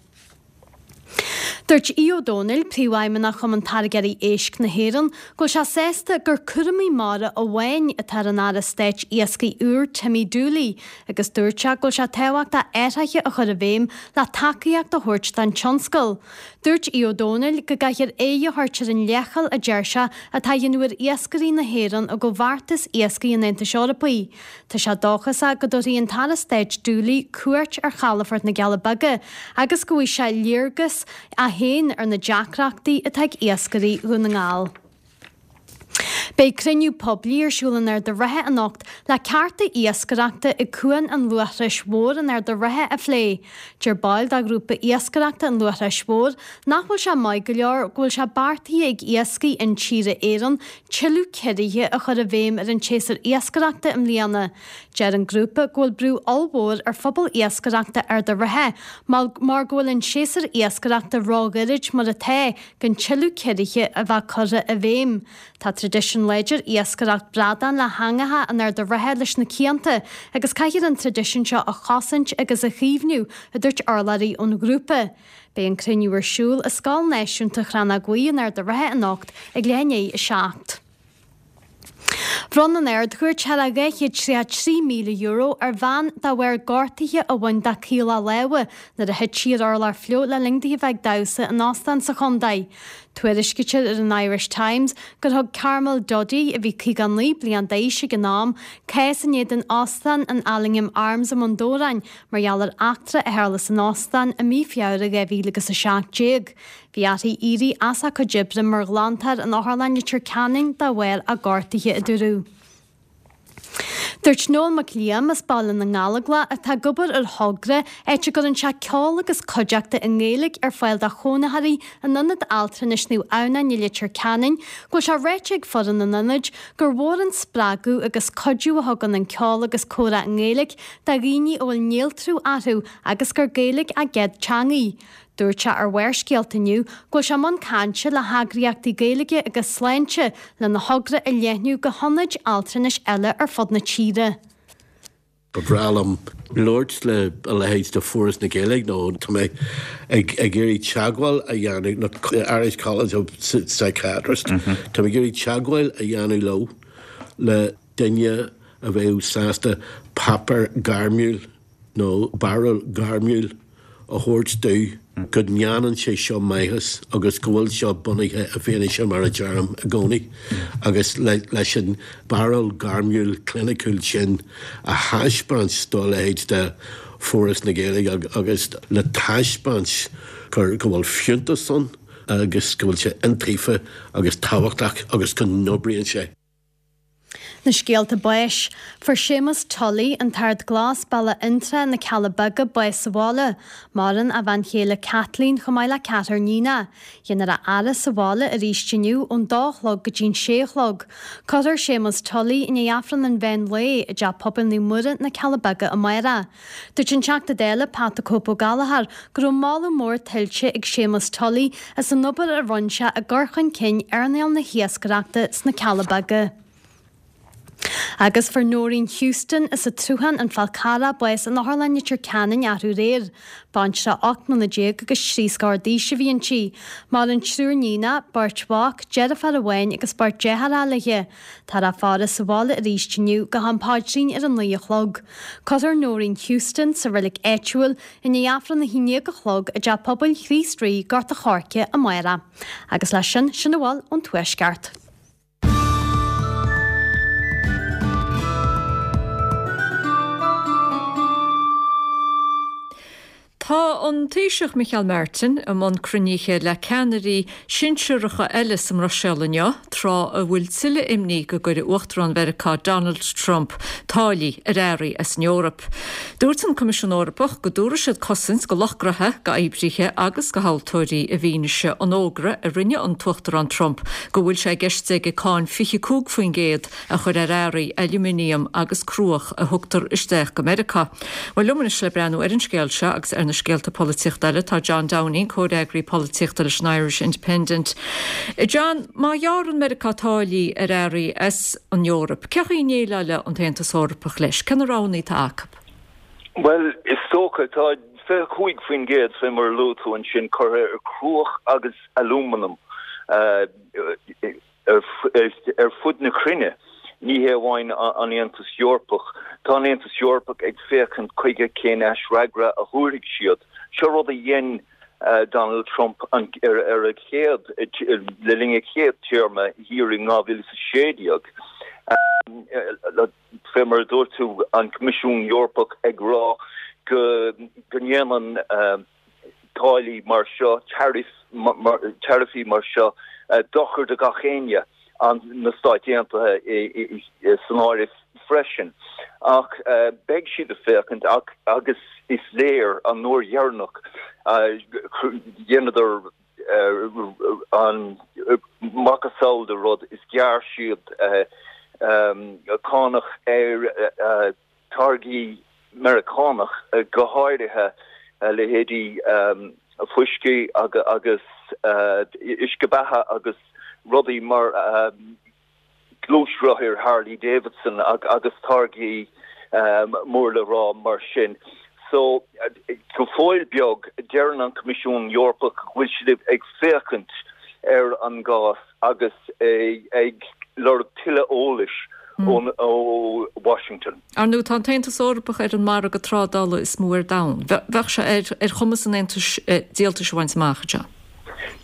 Dúirt Aodh Ó Domhnaill, Príomhfheidhmeannach Chumann Táirgeoirí Éisc na hÉireann, go bhfuil sé sásta gur cúramaí mara amháin atá ar an Aire Stáit Iascaigh úr Timmy Dooley agus dúirt sé go bhfuil sé tábhachtach athruithe a chur i bhfeidhm le tacaíocht a thabhairt don tionscal. Dúirt Aodh Ó Domhnaill go gcaithfear aghaidh a thabhairt ar an leithcheal a deir sé atá á dhéanamh ar iascairí na hÉireann i gComhbheartas Iascaigh an Aontais Eorpaigh. Tá sé dóchasach go dtabharfaidh an tAire Stáit Dooley cuairt ar chalafort na gCealla Beaga agus go bhfaighidh sé léargas é féin ar na deacrachtaí atá ag iascairí Dhún na nGall. Beidh cruinniú poiblí ar siúl in Ard a' Rátha anocht le cearta iascaireachta ag Cuan an Luaithris Mhóir in Ard a' Rátha a phlé. Deir baill de ghrúpa iascaireachta an Luaithris Mhóir nach bhfuil sé maith go leor go bhfuil sé beartaithe ag Iascaigh Intíre Éireann tuilleadh ciorruithe a chur i bhfeidhm ar an tséasúr iascaireachta i mbliana. Deir an grúpa go bhfuil brú ollmhór ar phobal iascaireachta Ard a' Rátha mar go bhfuil an séasúr iascaireachta róghairid mar atá gan tuilleadh ciorruithe a bheith curtha i bhfeidhm. Tá traidisiún láidir iascaireacht bradán le heangacha in Ard a' Rátha leis na cianta agus caithfear an traidisiún seo a chosaint agus a chaomhnú, a dúirt urlabhraí ón ghrúpa. Beidh an cruinniú ar siúl i Scoil Náisiúnta Chrannóg Bhuí in Ard a' Rátha anocht ag leath i ndiaidh 7. Bhronn an Ard-Chúirt thar a €233,000 ar bhean de bharr gortuithe a bhain dá caola láimhe nuair a thit sí ar urlár fliuch le linn di a bheith ag damhsa in óstán sa chontae. Tuairiscítear ar an Irish Times gur thug Carmel Duddy, a bhí 59 bliain d'aois ag an am, cás in éadan óstán an Allingham Arms i mBun Dobhráin Mar gheall ar eachtra a tharla san óstán i mí Feabhra 2017, bhí uirthi éirí as a cuid oibre mar ghlantóir in Otharlann Leitir Ceanainn de bharr a gortuithe, a dúradh. Dúirt Noel Mac Liam as Baile na nGallóglach atá ag obair ar thogra áit a gcuireann sé ceol agus cuideachta i nGaeilge ar fáil do chónaitheoirí in Ionad Altranais Naomh Adhamhnáin i Leitir Ceanainn go bhfuil sé ráite ag foireann an ionaid gur mhór an spreagadh agus cuidiú a thugann an ceol agus comhrá i nGaeilge do dhaoine a bhfuil néaltrú orthu agus gur Gaeilge a gcéad teangaidh. Dúirt sé ar Bharrscéalta inniu go bhfuil sé i mbun cainte le heagraíochtaí Gaeilge agus sláinte lena thogra a leathnú go hionaid altranais eile ar fud na tíre. Ba bhreá liom labhairt le a leithéid de Foras na Gaeilge nó tá mé ag iarraidh teagmháil a dhéanamh nó Irish College of Psychiatrists, tá mé ag iarraidh teagmháil a dhéanamh leo le duine a bheadh sásta páipéar gairmiúil. nó barúil ghairmiúil a thabhairt domh go ndéanann sé seo maitheas agus go bhfuil seo bunaithe i bhfianaise mar a deirim i gcónaí agus leis an barúil ghairmiúil chliniciúil sin a thaispeáint do a leithéid de Foras na Gaeilge agus le taispeáint gur go bhfuil fiúntas ann agus go bhfuil sé iontaofa agus tábhachtach agus go n-oibríonn sé. Na scéalta báis. Fuair Séamus Tully, an tArd Glas, Bealach Fhionntrá, Na Cealla Beaga, bás sa bhaile. Maireann a bhean chéile Kathleen chomh maith le ceathrar níonach. Déanfar a fhaire sa bhaile arís inniu ón dó a chlog go dtí'n sé a chlog. Cuirfear Séamus Tully i ndiaidh Aifreann an mheán lae i dTeach Pobail Naomh Muire, Na Cealla Beaga amárach. Dúirt an Teachta Dála Pat 'The Cope' Ó Gallchóir go raibh moladh mór tuillte ag Séamus Tully as an obair a rinne sé i gcur chun cinn earnáil na hiascaireachta sna Cealla Beaga. Agus fuair Noreen Houston as an tSruthán, An Fál Carrach, bás in Otharlann Leitir Ceanainn arú aréir. Baintreach 18 mbliana agus trí scór d'aois a bhí inti. Maireann triúr níonach, beirt mhac, deirfiúr amháin agus beirt deartháireacha léi. Táthar á faire sa bhaile arís inniu go ham paidrín ar a 9 a chlog. Cuirfear Noreen Houston sa reilig áitiúil i ndiaidh Aifreann a 11 a chlog i dTeach Pobail Chríost Rí, Gort a' Choirce amárach. Agus leis sin, sin a bhfuil ón Tuaisceart. Tá an Taoiseach Micheál Martin i mbun cruinnithe le ceannairí sinsearacha eile sa mBruiséil inniu, tráth a bhfuil tuilleadh imní go gcuirfidh Uachtarán Mheiriceá Donald Trump táillí ar earraí as an Eoraip. Dúirt an Coimisiún Eorpach go dtabharfaidh siad cosaint go lucht gnoithe, go oibrithe agus go thomhaltóirí i bhfianaise an fhógra a rinne an tUachtarán Trump go bhfuil sé i gceist aige cáin 25% a chur ar earraí ailúminiam agus cruach a thugtar isteach go Meiriceá. Bhuel, liom anois le breathnú ar an scéal seo agus ar na scéalta polaitíochta eile tá John Downing, comhfhreagraí polaitíochta leis an Irish Independent. John, má ghearrann Meiriceá táillí ar earraí as an Eoraip, cén chaoi a ndéileálfaidh an tAontas Eorpach leis? Cé na roghanna atá acu? Bhuel, is dócha, tá 25% fé mar a luaigh tú ansin curtha ar chruach agus alúmanam. Ar fud na cruinne, ní hé amháin an Aontas Eorpach, tá an Aontas Eorpach ag féachaint chuige cén aisfhreagra a thabharfaidh siad. Seo rud a dhein Donald Trump ar a chéad, le linn a chéad téarma thiar in 2016. Fé mar a dúirt tú, an Coimisiún Eorpach ag rá go ndéanann táillí mar seo, taraifí mar seo, dochar do gach éinne, na Stáit Aontaithe san áireamh freisin. Ach beidh siad ag féachaint agus is léir an uair dheireanach dheineadar an macasamhail de rud is ghearr siad cánach ar táirgí Meiriceánach, go háirithe leithéidí fuiscí agus uisce beatha agus rudaí mar gluaisrothair Harley Davidson agus táirgí mór le rá mar sin. So, go fóill beag, deireann an Coimisiún Eorpach go bhfuil siad ag féachaint ar an gcás agus ag lorg tuilleadh eolais ó Washington. Ar ndóigh, tá an tAontas Eorpach ar an margadh trádála is mó ar domhan. Bheadh sé ar chumas an Aontais díoltais a bhaint amach, a John.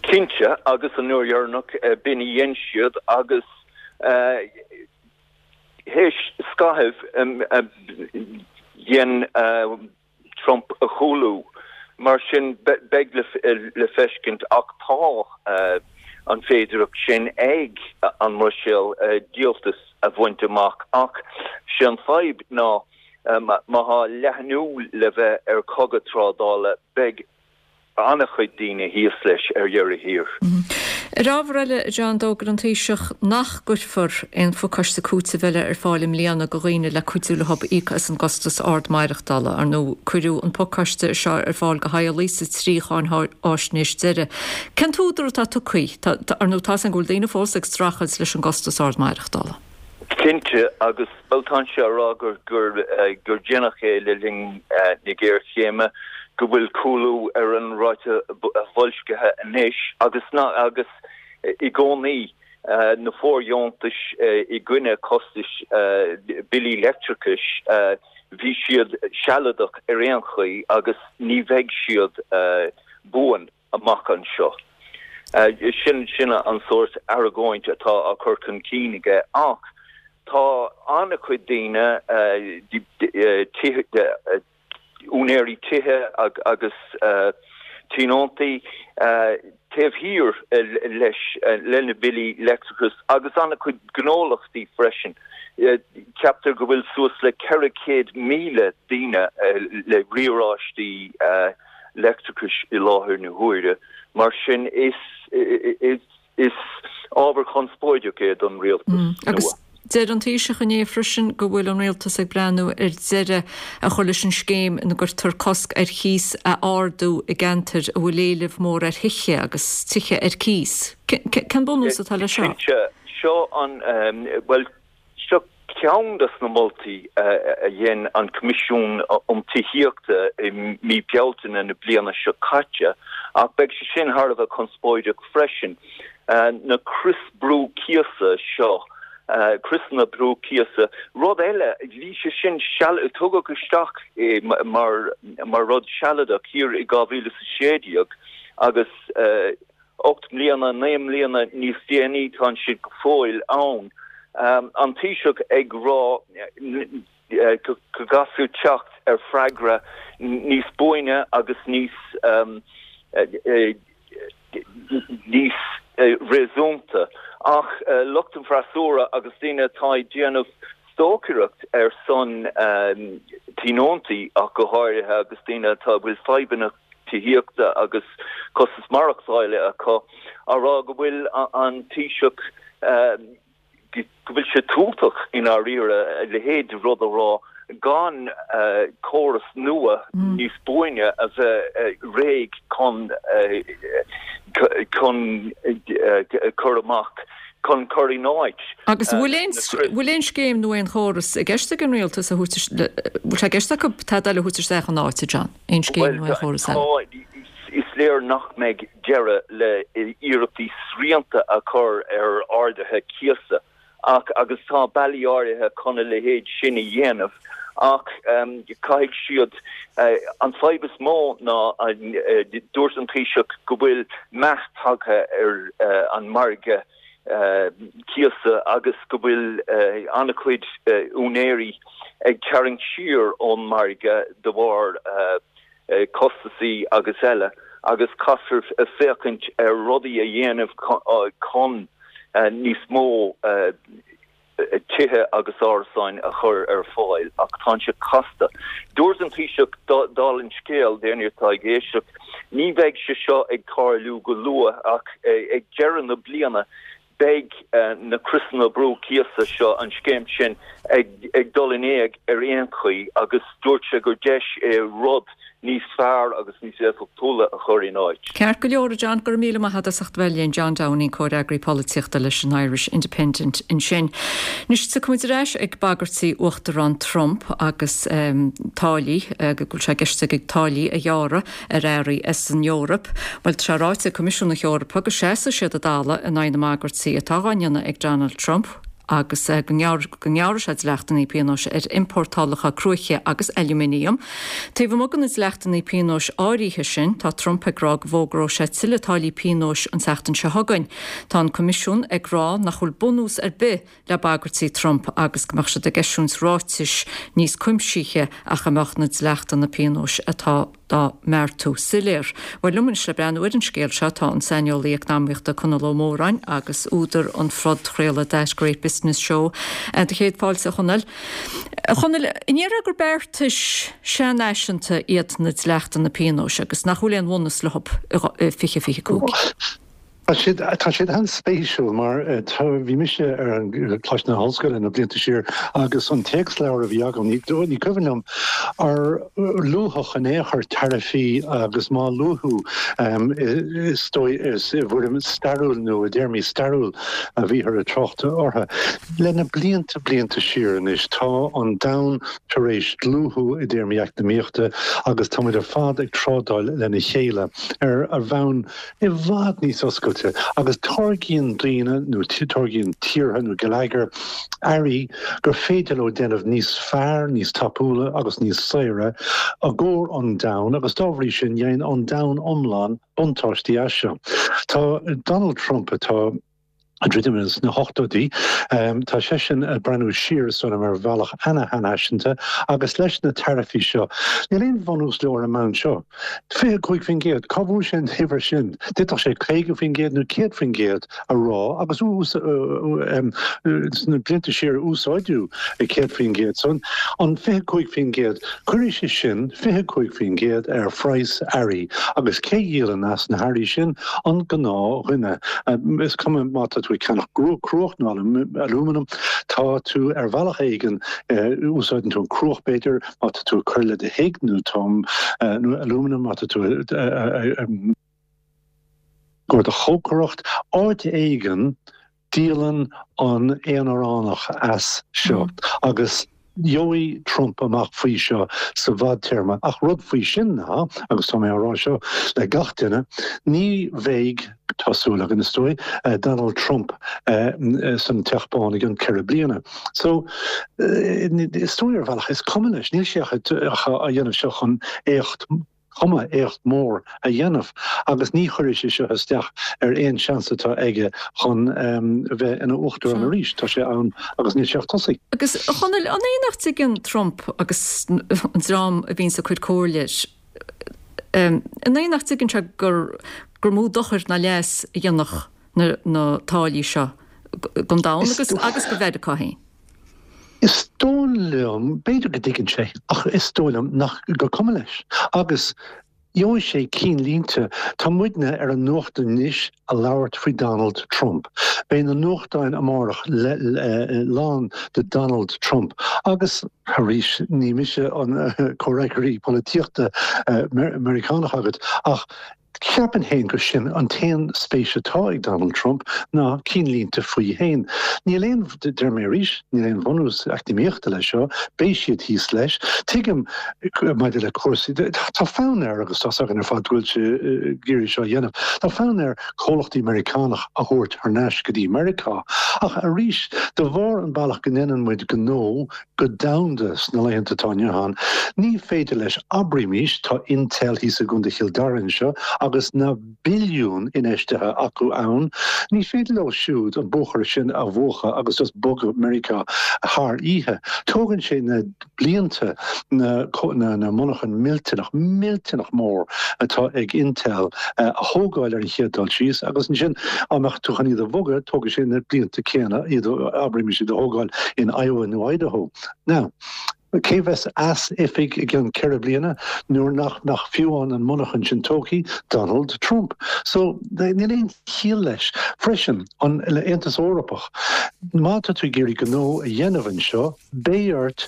Cinnte, agus an uair dheireanach, b'in a dhein siad agus théis scaithimh dhein Trump a chúlú. Mar sin, beidh le feiscint ach tá an féidireacht sin ag an mBruiséil díoltas a bhaint amach. Ach sé an fadhb ná má tá leathnú le bheith ar chogadh trádála, beidh an-chuid daoine thíos leis ar dheireadh thiar. Ar ábhar eile, a John, d'fhógair an Taoiseach nach gcuirfear aon phacáiste cúitimh eile ar fáil i mbliana do dhaoine le cuidiú leo íoc as an gcostas ard maireachtála. Ar ndóigh, cuireadh an pacáiste seo ar fáil do theaghlaigh sa trí cháinfháisnéis deiridh. Cén t-údar atá tugtha? Ar ndóigh, tá's againn go bhfuil daoine fós ag streachailt leis an gcostas ard maireachtála. Cinnte, agus bhuel tá sé á rá gur gur déanadh é le linn na géarchéime, go bhfuil cúlú ar an ráta boilscithe anois agus ná agus i gcónaí na fóirdheontais i gcoinne costais billí leictreachais. Bhí siad sealadach ar aon chaoi agus ní bheidh siad buan amach anseo. Sin sin an sórt argóint atá á cur chun cinn aige ach tá an-chuid daoine, úinéirí tithe agus tionóntaí taobh thiar leis le na billí leictreachais agus an-chuid gnólachtaí freisin. Ceaptar go bhfuil suas le 400,000 daoine le riaráistí leictreachais i láthair na huaire, mar sin is Is ábhar conspóideach é don rialtas nua. Agus deir an Taoiseach inné freisin go bhfuil an rialtas ag breathnú ar deireadh a chur leis an scéim ina gcuirtear cosc ar chíos a ardú i gceantair a bhfuil éileamh mór ar thithe agus tithe ar cíos. Cén bunús atá leis seo? Cinnte, seo an, bhuel, Seo ceann de na moltaí a dhein an Coimisiún um Tithíochta i mí Bealtaine na bliana seo caite, ach beidh sé sin thar a bheith conspóideach freisin. Na crios brú cíosa seo, criosanna brú cíosa, rud eile, bhí sé sin, tugadh isteach é mar rud sealadach thiar i 2016 agus, 8 mbliana, 9 mbliana níos déanaí tá siad go fóill ann. An Taoiseach ag rá go gcaithfear teacht ar freagra níos buaine agus níos níos réasúnta. Ach lucht an freasúra agus daoine atá ag déanamh stocaireacht ar son tionóntaí ach go háirithe agus daoine atá a bhfuil fadhbanna tithíochta agus costas maireachtála acu, á rá go bhfuil an Taoiseach, go bhfuil sé tútach i ndáiríre a leithéid de rud a rá gan córas nua níos buaine a bheith réidh chun chun cur amach, chun cur in áit. Agus an bhfuil aon, bhfuil aon scéim nó aon chóras i gceist ag an rialtas a thabhairt, bhfuil sé i gceist acu tada eile a thabhairt isteach in áit, a John? Aon scéim nó aon chóras eile? Bhuel, is léir nach mbeidh deireadh le hiarrachtaí srianta a chur ar arduithe cíosa ach agus tá bealaí áirithe chun a leithéid sin a dhéanamh ach caithfidh siad an fadhb is mó ná dúirt an Taoiseach go bhfuil meath tagtha ar an margadh cíosa agus go bhfuil an-chuid úinéirí ag tarraingt siar ón margadh de bharr costasaí agus eile agus caithfear féachaint ar rudaí a dhéanamh chun níos mó tithe agus árasáin a chur ar fáil ach tá sé casta. Dúirt an Taoiseach, dála an scéil, d'éinne atá ag éisteacht, ní bheidh sé seo ag tarlú go luath ach ag deireadh na bliana beidh na criosanna brú cíosa seo, an scéim sin, ag dul in éag ar aon chaoi agus dúirt sé gur deis é rud níos fearr agus níos éifeachtúla a chur in áit. Ceart go leor, a John, go raibh míle maith agat as ucht a bheith linn. John Downing, Comhfhreagraí Polaitíochta leis an Irish Independent ansin. Anois tiocfaidh muid ar ais ag bagairtí Uachtarán Trump agus táillí, go bhfuil sé i gceist aige táillí a ghearradh ar earraí as an Eoraip. Bhuel, tá sé ráite ag Coimisiún na hEorpa go seasfaidh siad a dtalamh in aghaidh na mbagairtí atá dhá ndéanamh ag Donald Trump. agus go ngearrfaidh sé dleachtanna pionóis ar iompórtálacha cruaiche agus ailúminiam. Taobh amuigh de na dleachtanna pionóis áirithe sin, tá Trump ag rá go bhfógróidh sé tuilleadh táillí pionóis an tseachtain seo chugainn. Tá an Coimisiún ag rá nach bhfuil bunús ar bith le bagairtí Trump agus go mbeadh siad ag eisiúint ráitis níos cuimsithí ach a mbeadh na dleachtanna pionóis atá dá mbeartú soiléir. Bhuel, liom anois le breathnú ar an scéal seo tá an saineolaí eacnamaíochta Conall Ó Móráin agus údar an phodchraoladh That Great Business Show. Do chéad fáilte, a Chonaill. A Chonaill, an ndéarfá gur beartais seanfhaiseanta iad na dleachtanna pionóis agus nach bhfuil aon bhunús leo i 2025? Tá siad, tá siad an-spéisiúil mar bhí mise ar an Coláiste na hOllscoile na blianta siar agus an téacsleabhar a bhí agam, ní, ní cuimhin liom ar luadh in aon chor taraifí agus má luadh is dóigh is i bhfoirm stairiúil nó i dtéarmaí stairiúil a bhíothar ag trácht orthu. Le na blianta, blianta siar anois tá an domhan tar éis dlúthú i dtéarmaí eacnamaíochta agus tá muid ar fad ag trádáil lena chéile ar bhonn i bhfad níos oscailte. oscailte agus táirgíonn daoine nó táirgíonn tíortha nó geilleagair earraí gur féidir leo déanamh níos fearr, níos tapúla agus níos saoire i gcomhair an domhain agus dá bhrí sin dhéanann an domhan iomlán buntáistí as seo. Tá Donald Trump atá ag druidim sna hochtóidí, tá seisean ag breathnú siar is dóigh liom ar bhealach ana-fhaiseanta agus leis na taraifí seo, níl aon bhunús leo ar an mbonn seo. 25%, cá bhfuair sé an uimhir sin? D'fhéadfadh sé 50% nó 100% a rá agus sna blianta siar úsáideadh 100%. So an 25%, cuirfidh sé sin 25% ar phraghas earraí agus cé a dhíolann as na hearraí sin? An gnáthdhuine. Is cuma má tá tú ag ceannach cruach nó alúmanam, tá tú ar bhealach éigin, úsáideann tú an cruach b'fhéidir, má tá tú ag cur le do thigh nó nó alúmanam má tá tú ag cur do chócaireacht, áit éigin díolann an aonaránach as seo agus gheobhaidh Trump amach faoi seo sa bhfadtéarma. Ach rud faoi sin ná, agus tá mé á rá seo le gach duine, ní bheidh, tá súil againn is dóigh, Donald Trump san Teach Bán i gcionn 4 bliana. So, is dóigh ar bhealach is cuma leis, níl sé ach á dhéanamh seo chun éacht, cuma, éacht mór a dhéanamh agus ní chuirfidh sé seo isteach ar aon seans atá aige chun bheith ina uachtarán arís. Tá sé ann agus níl sé ach tosaí. Agus, a Chonaill, an é nach dtuigeann Trump agus an dream a bhíonns ag cur comhairle air, an é nach dtuigeann sé gur gur mó dochar ná leas a dhéanfadh na na táillí seo don domhan agus agus do Mheiriceá féin? Is dóigh liom, b'fhéidir go dtuigeann sé, ach is dóigh liom nach, gur cuma leis. Agus gheobhaidh sé cinnlínte. Tá muidne ar an nuacht anois a labhairt faoi Donald Trump. Beidh na nuachtáin amárach lán de Donald Trump. Agus arís, ní mise an comhfhreagraí polaitíochta Meiriceánach agat, ach Cheapfainn féin gur sin an t-aon spéis atá ag Donald Trump ná cinnlínte faoi féin. Níl aon, deir mé arís, níl aon bhunús eacnamaíochta leis seo, beidh siad thíos leis. Tuigim maidir le cúrsaí, tá fonn air agus tá's againn ar fad go bhfuil sé ag iarraidh seo a dhéanamh, tá fonn air comhlachtaí Meiriceánach a thabhairt thar n-ais go dtí Meiriceá. Ach arís, de bharr an bealach go ndéanann muid gnó, go domhanda sna laethanta atá inniu ann. Ní féidir leis, abraímís, tá Intel thíos i gContae Chill Dara anseo agus na billiúin infheistithe acu ann, ní féidir leo siúd an buachaire sin a mhúchadh agus just bogadh Meiriceá thar oíche. Tógann sé na blianta na na monarchain millteanach, millteanach mór atá ag Intel a thógáil ar an chéad dul síos agus ansin dá mbeadh tú chun iad a bhogadh, tógfaidh sé na blianta céanna iad, abraímis, iad a thógáil in Iowa nó Idaho. Now, cé bheas as oifig i gcionn 4 bliana nuair nach mbeadh fiú amháin an monarchan sin tógtha? Donald Trump. So, níl aon chiall leis. Freisin, an Aontas Eorpach, má tá tú ag iarraidh gnó a dhéanamh anseo, beidh ort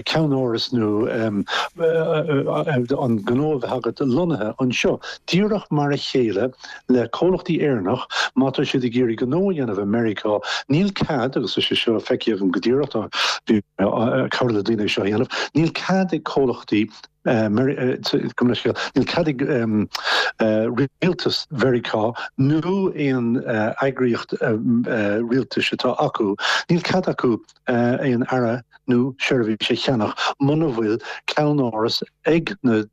ceannáras nó an gnó a bheith agat lonnaithe anseo, díreach mar a chéile le comhlachtaí Éireannach, má tá siad ag iarraidh gnó a dhéanamh i Meiriceá, níl cead, agus tá sé seo feicthe agam go díreach, tá bhí mé ag cabhrú le daoine é seo a dhéanamh, níl cead ag comhlachtaí, gabh mo leithscéal, níl cead ag rialtas Mheiriceá nó aon eagraíocht rialtais atá acu, níl cead acu aon earra nó seirbhís a cheannach muna bhfuil ceannáras ag na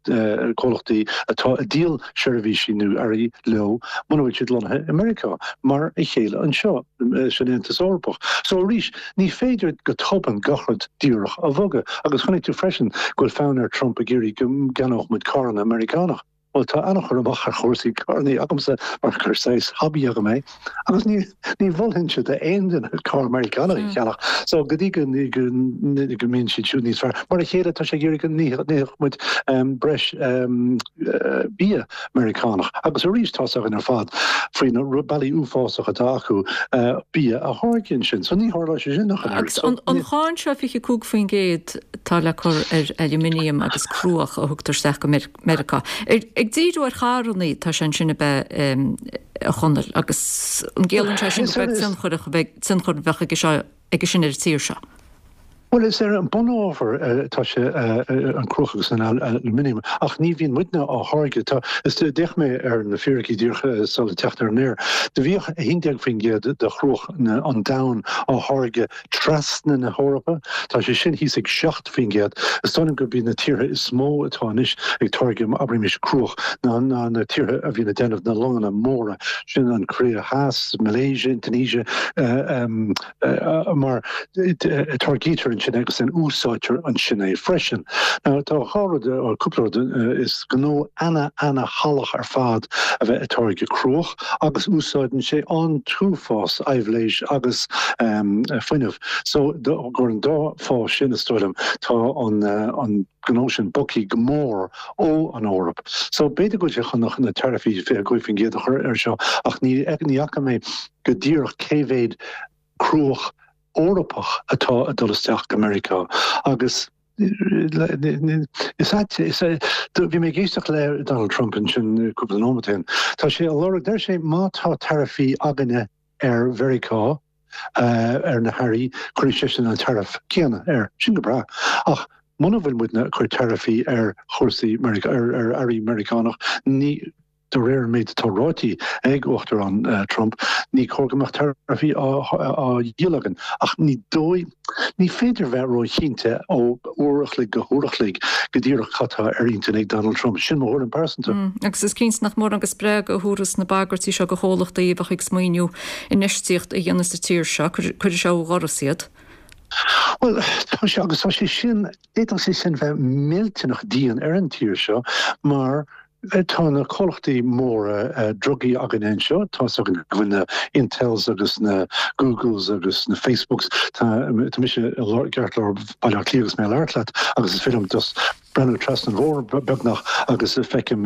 comhlachtaí atá ag díol seirbhísí nó earraí leo muna bhfuil siad lonnaithe i Meiriceá, mar a chéile anseo san Aontas Eorpach. So arís, ní féidir go tobann gach rud díreach a bhogadh. Agus chonaic tú freisin go bhfuil fonn ar Trump ag iarraidh go gceannódh muid carranna Meiriceánach. Bhuel, tá an-chur amach ar chúrsaí carrannaí agamsa mar gur saghas hobby agam é, agus ní ní mholfainnse d'aon duine carr Meiriceánach a cheannach. So, go dtí go go go mbíonn siad siúd níos fearr. Mar a chéile, tá sé ag iarraidh go n-itheadh muid breis bia Meiriceánach. Agus arís, tá's againn ar fad faoi na bealaí uafásach atá acu bia a tháirgeadh ansin. So, ní tharlóidh sé sin ach an oiread. Agus an cháin seo 25% atá le cur ar aluminium agus cruach a thugtar isteach go Meiriceá. Meiriceá. Ag díriú ar charrannaí atá sé ansin ab ea a Chonaill agus an gciallaíonn sé sin gur beag tionchar a bheadh aige seo aige sin ar an tír seo? Bhuel, is ar an bunábhar atá sé, an cruach agus an aluminium, ach ní bhíonn muidne á tháirgeadh. Tá, is d'fhéach mé ar na fíricí díreach sula teacht ar an aer. Do bhíodh 11% de chruach an domhain á tháirgeadh trasna na hEorpa. Tá sé sin thíos ag 7%. Is dóigh liom gurb iad na tíortha is mó atá anois ag táirgeadh, abraimis, cruach ná na tíortha a bhíonn ag déanamh na longanna móra, sin an Cóiré Theas, Malaysia, Indonesia, mar táirgítear ansin agus then úsáidtear ansin é freisin. Now tá dhá rud, cúpla rud, is gnó ana-ana-shalach ar fad a bheith ag táirgeadh cruach agus úsáideann sé an t-uafás aibhléis agus fuinneamh. So gur an dá fáth sin is dóigh liom tá an gnó sin bogthaí go mór ó an Eoraip. So b'fhéidir go bhfuil sé chun na taraifí 25% a chur air seo ach ní ní fhaca mé go díreach cé mhéad cruach Eorpach atá ag dul isteach go Meiriceá agus is ait is bhí mé ag éisteacht le Donald Trump ansin cúpla nóiméad ó shin. Tá sé á lorg, deir sé má tá taraifí againne ar Mheiriceá, ar na hearraí, cuirfidh seisean an taraif céanna air. Sin go breá. Ach muna bhfuil muidne ag cur taraifí ar chúrsaí Meiriceá, ar earraí Meiriceánach, ní, de réir an méid atá ráite ag Uachtarán Trump, ní cóir go mbeadh taraifí á dhíol againn. Ach ní dóigh, ní féidir bheith róchinnte ó uair a chloig go huair a chloig go díreach cad tá ar intinn ag Donald Trump. Sin mo thuairim pearsanta. Agus is cinnte nach mórán de spreagadh a thabharfas na bagairtí seo do chomhlachtaí a bheadh ag smaoineamh infheistíocht a dhéanamh sa tír seo. Cuirfidh sé ó dhoras iad. Bhuel, tá sé, agus tá sé sin, d'fhéadfadh sé sin bheith millteanach dian ar an tír seo mar tá na comhlachtaí móra drugaí againne anseo, tá's againn go bhfuil na Intels agus na Googles agus na Facebooks, tá mise i gceartlár Bhaile Átha Cliath agus mé ag labhairt leat agus is féidir liom just breathnú trasna an bhóthair beagnach agus feicim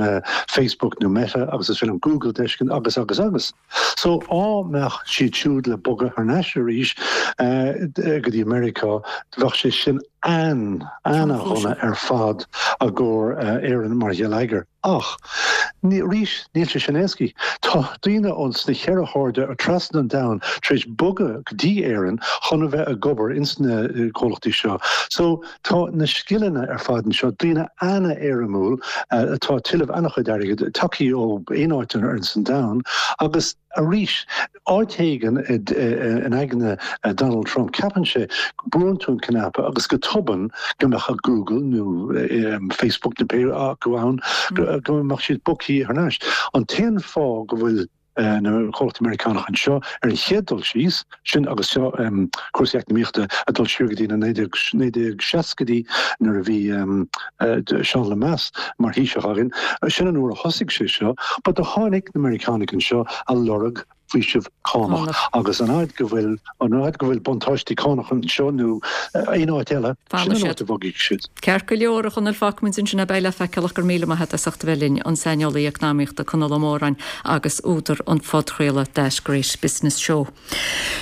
Facebook nó Meta agus is féidir liom Google d'fheiscint agus agus agus. So á mbeadh siad siúd le bogadh thar n-ais arís go dtí Meiriceá bheadh sé sin an-an-dhona ar fad i gcomhair Éireann mar gheilleagar. Ach arís níl sé sin éascaí. Tá daoine ón sna cheithre hairde trasna an domhain tar éis bogadh go dtí Éirinn chun a bheith ag obair ins na comhlachtaí seo. So Tá na scileanna ar fad anseo, daoine an-éirimiúil atá ag tuilleamh an-chuid airgid, tagthaí ó aon áit ar an domhan agus arís, áit éigin in aigne Donald Trump, ceapann sé go brúann tú an cnaipe agus go tobann go mbeadh Google nó Facebook nó pé acu ann, go mbeadh siad bogthaí thar n-ais. An t-aon fáth go bhfuil na comhlachtaí Meiriceánacha anseo ar an chéad dul síos, sin agus seo cúrsaí eacnamaíochta ag dul siar go dtí na 1960idí nuair a bhí Seán Lemass mar Thaoiseach againn, sin an uair a thosaigh sé seo, but do tháinig na Meiriceánaigh anseo a lorg faoiseamh cánach agus an fhaid go bhfuil an fhaid go bhfuil buntáistí cánach anseo nó aon áit eile, sin an áit a bhogfaidh siad. Ceart go leor, a Chonaill, fágfaimid ansin é, beidh le feiceáil ach go raibh míle maith agat as ucht a bheith linn, an saineolaí eacnamaíochta Conall Ó Móráin agus údar an phodchraoladh That Great Business Show.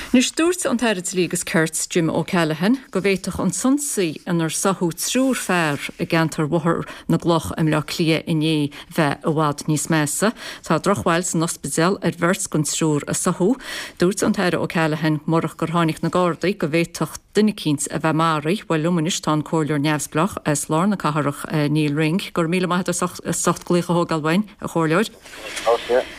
Anois, dúirt an tAire Dlí agus Cirt, Jim O'Callaghan, go bhféadfadh an t-ionsaí inar sáthadh triúr fear i gceantar Bhóthar na gCloch i mBleá Cliath inné bheith i bhfad níos measa. Tá drochbhail san ospidéal ar bheirt den triúr a sáthadh. Dúirt an tAire O'Callaghan murach gur tháinig na Gardaí go bhféadfadh duine eicínt a bheith maraithe. Bhuel, liom anois tá an Comhairleoir Neamhspleách as lár na cathrach, Neil Ring. Go raibh míle maith agat as ucht glaoch a thógáil uainn, a Chomhairleoir.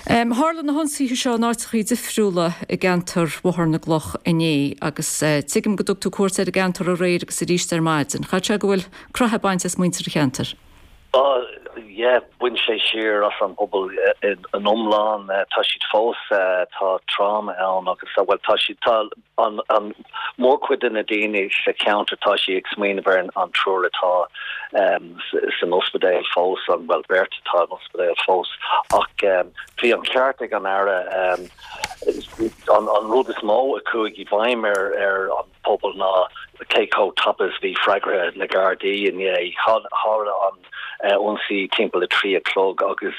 Tharla na hionsaithe seo in áiteachaí difriúla i gceantar Bhóthar na gCloch inné agus tuigim go dtug tú cuairt ar an gceantar aréir agus arís ar maidin. Chaithfidh sé go bhfuil croitheadh bainte as muintir an cheantair. Oh yeah, bhain sé siar as an bpobal in iomlán. Tá siad fós, tá tráma ann agus, bhuel, tá siad, tá an, an mórchuid de na daoine sa cheantar, tá siad ag smaoineamh ar an triúr atá san ospidéal fós, an, bhuel, beirt atá in ospidéal fós. Ach bhí an ceart ag an Aire, an, an rud is mó a chuaigh i bhfeidhm ar, ar an pobal ná cé chomh tapa is bhí freagra na Gardaí inné. Tharla an ionsaí timpeall a 3 a chlog agus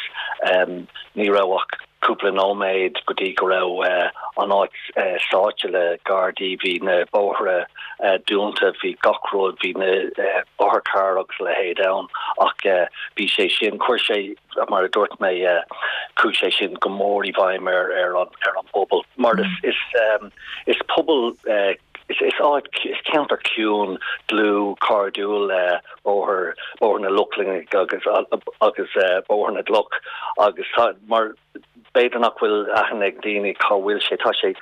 ní raibh ach cúpla nóiméad go dtí go raibh an áit sáite le Gardaí. Bhí na bóithre dúnta, bhí gach rud, bhí na otharchairr agus a leithéid ann ach bhí sé sin, chuir sé, mar a dúirt mé, chuaigh sé sin go mór i bhfeidhm ar an bpobal mar is, is. Is pobal. Is is áit, is ceantar ciúin, dlúth, cairdiúil Bóthar, Bóthar na Lochlannach agus agus Bóthar na gCloch agus tá, mar b'fhéidir nach bhfuil aithne ag daoine cá bhfuil sé, tá sé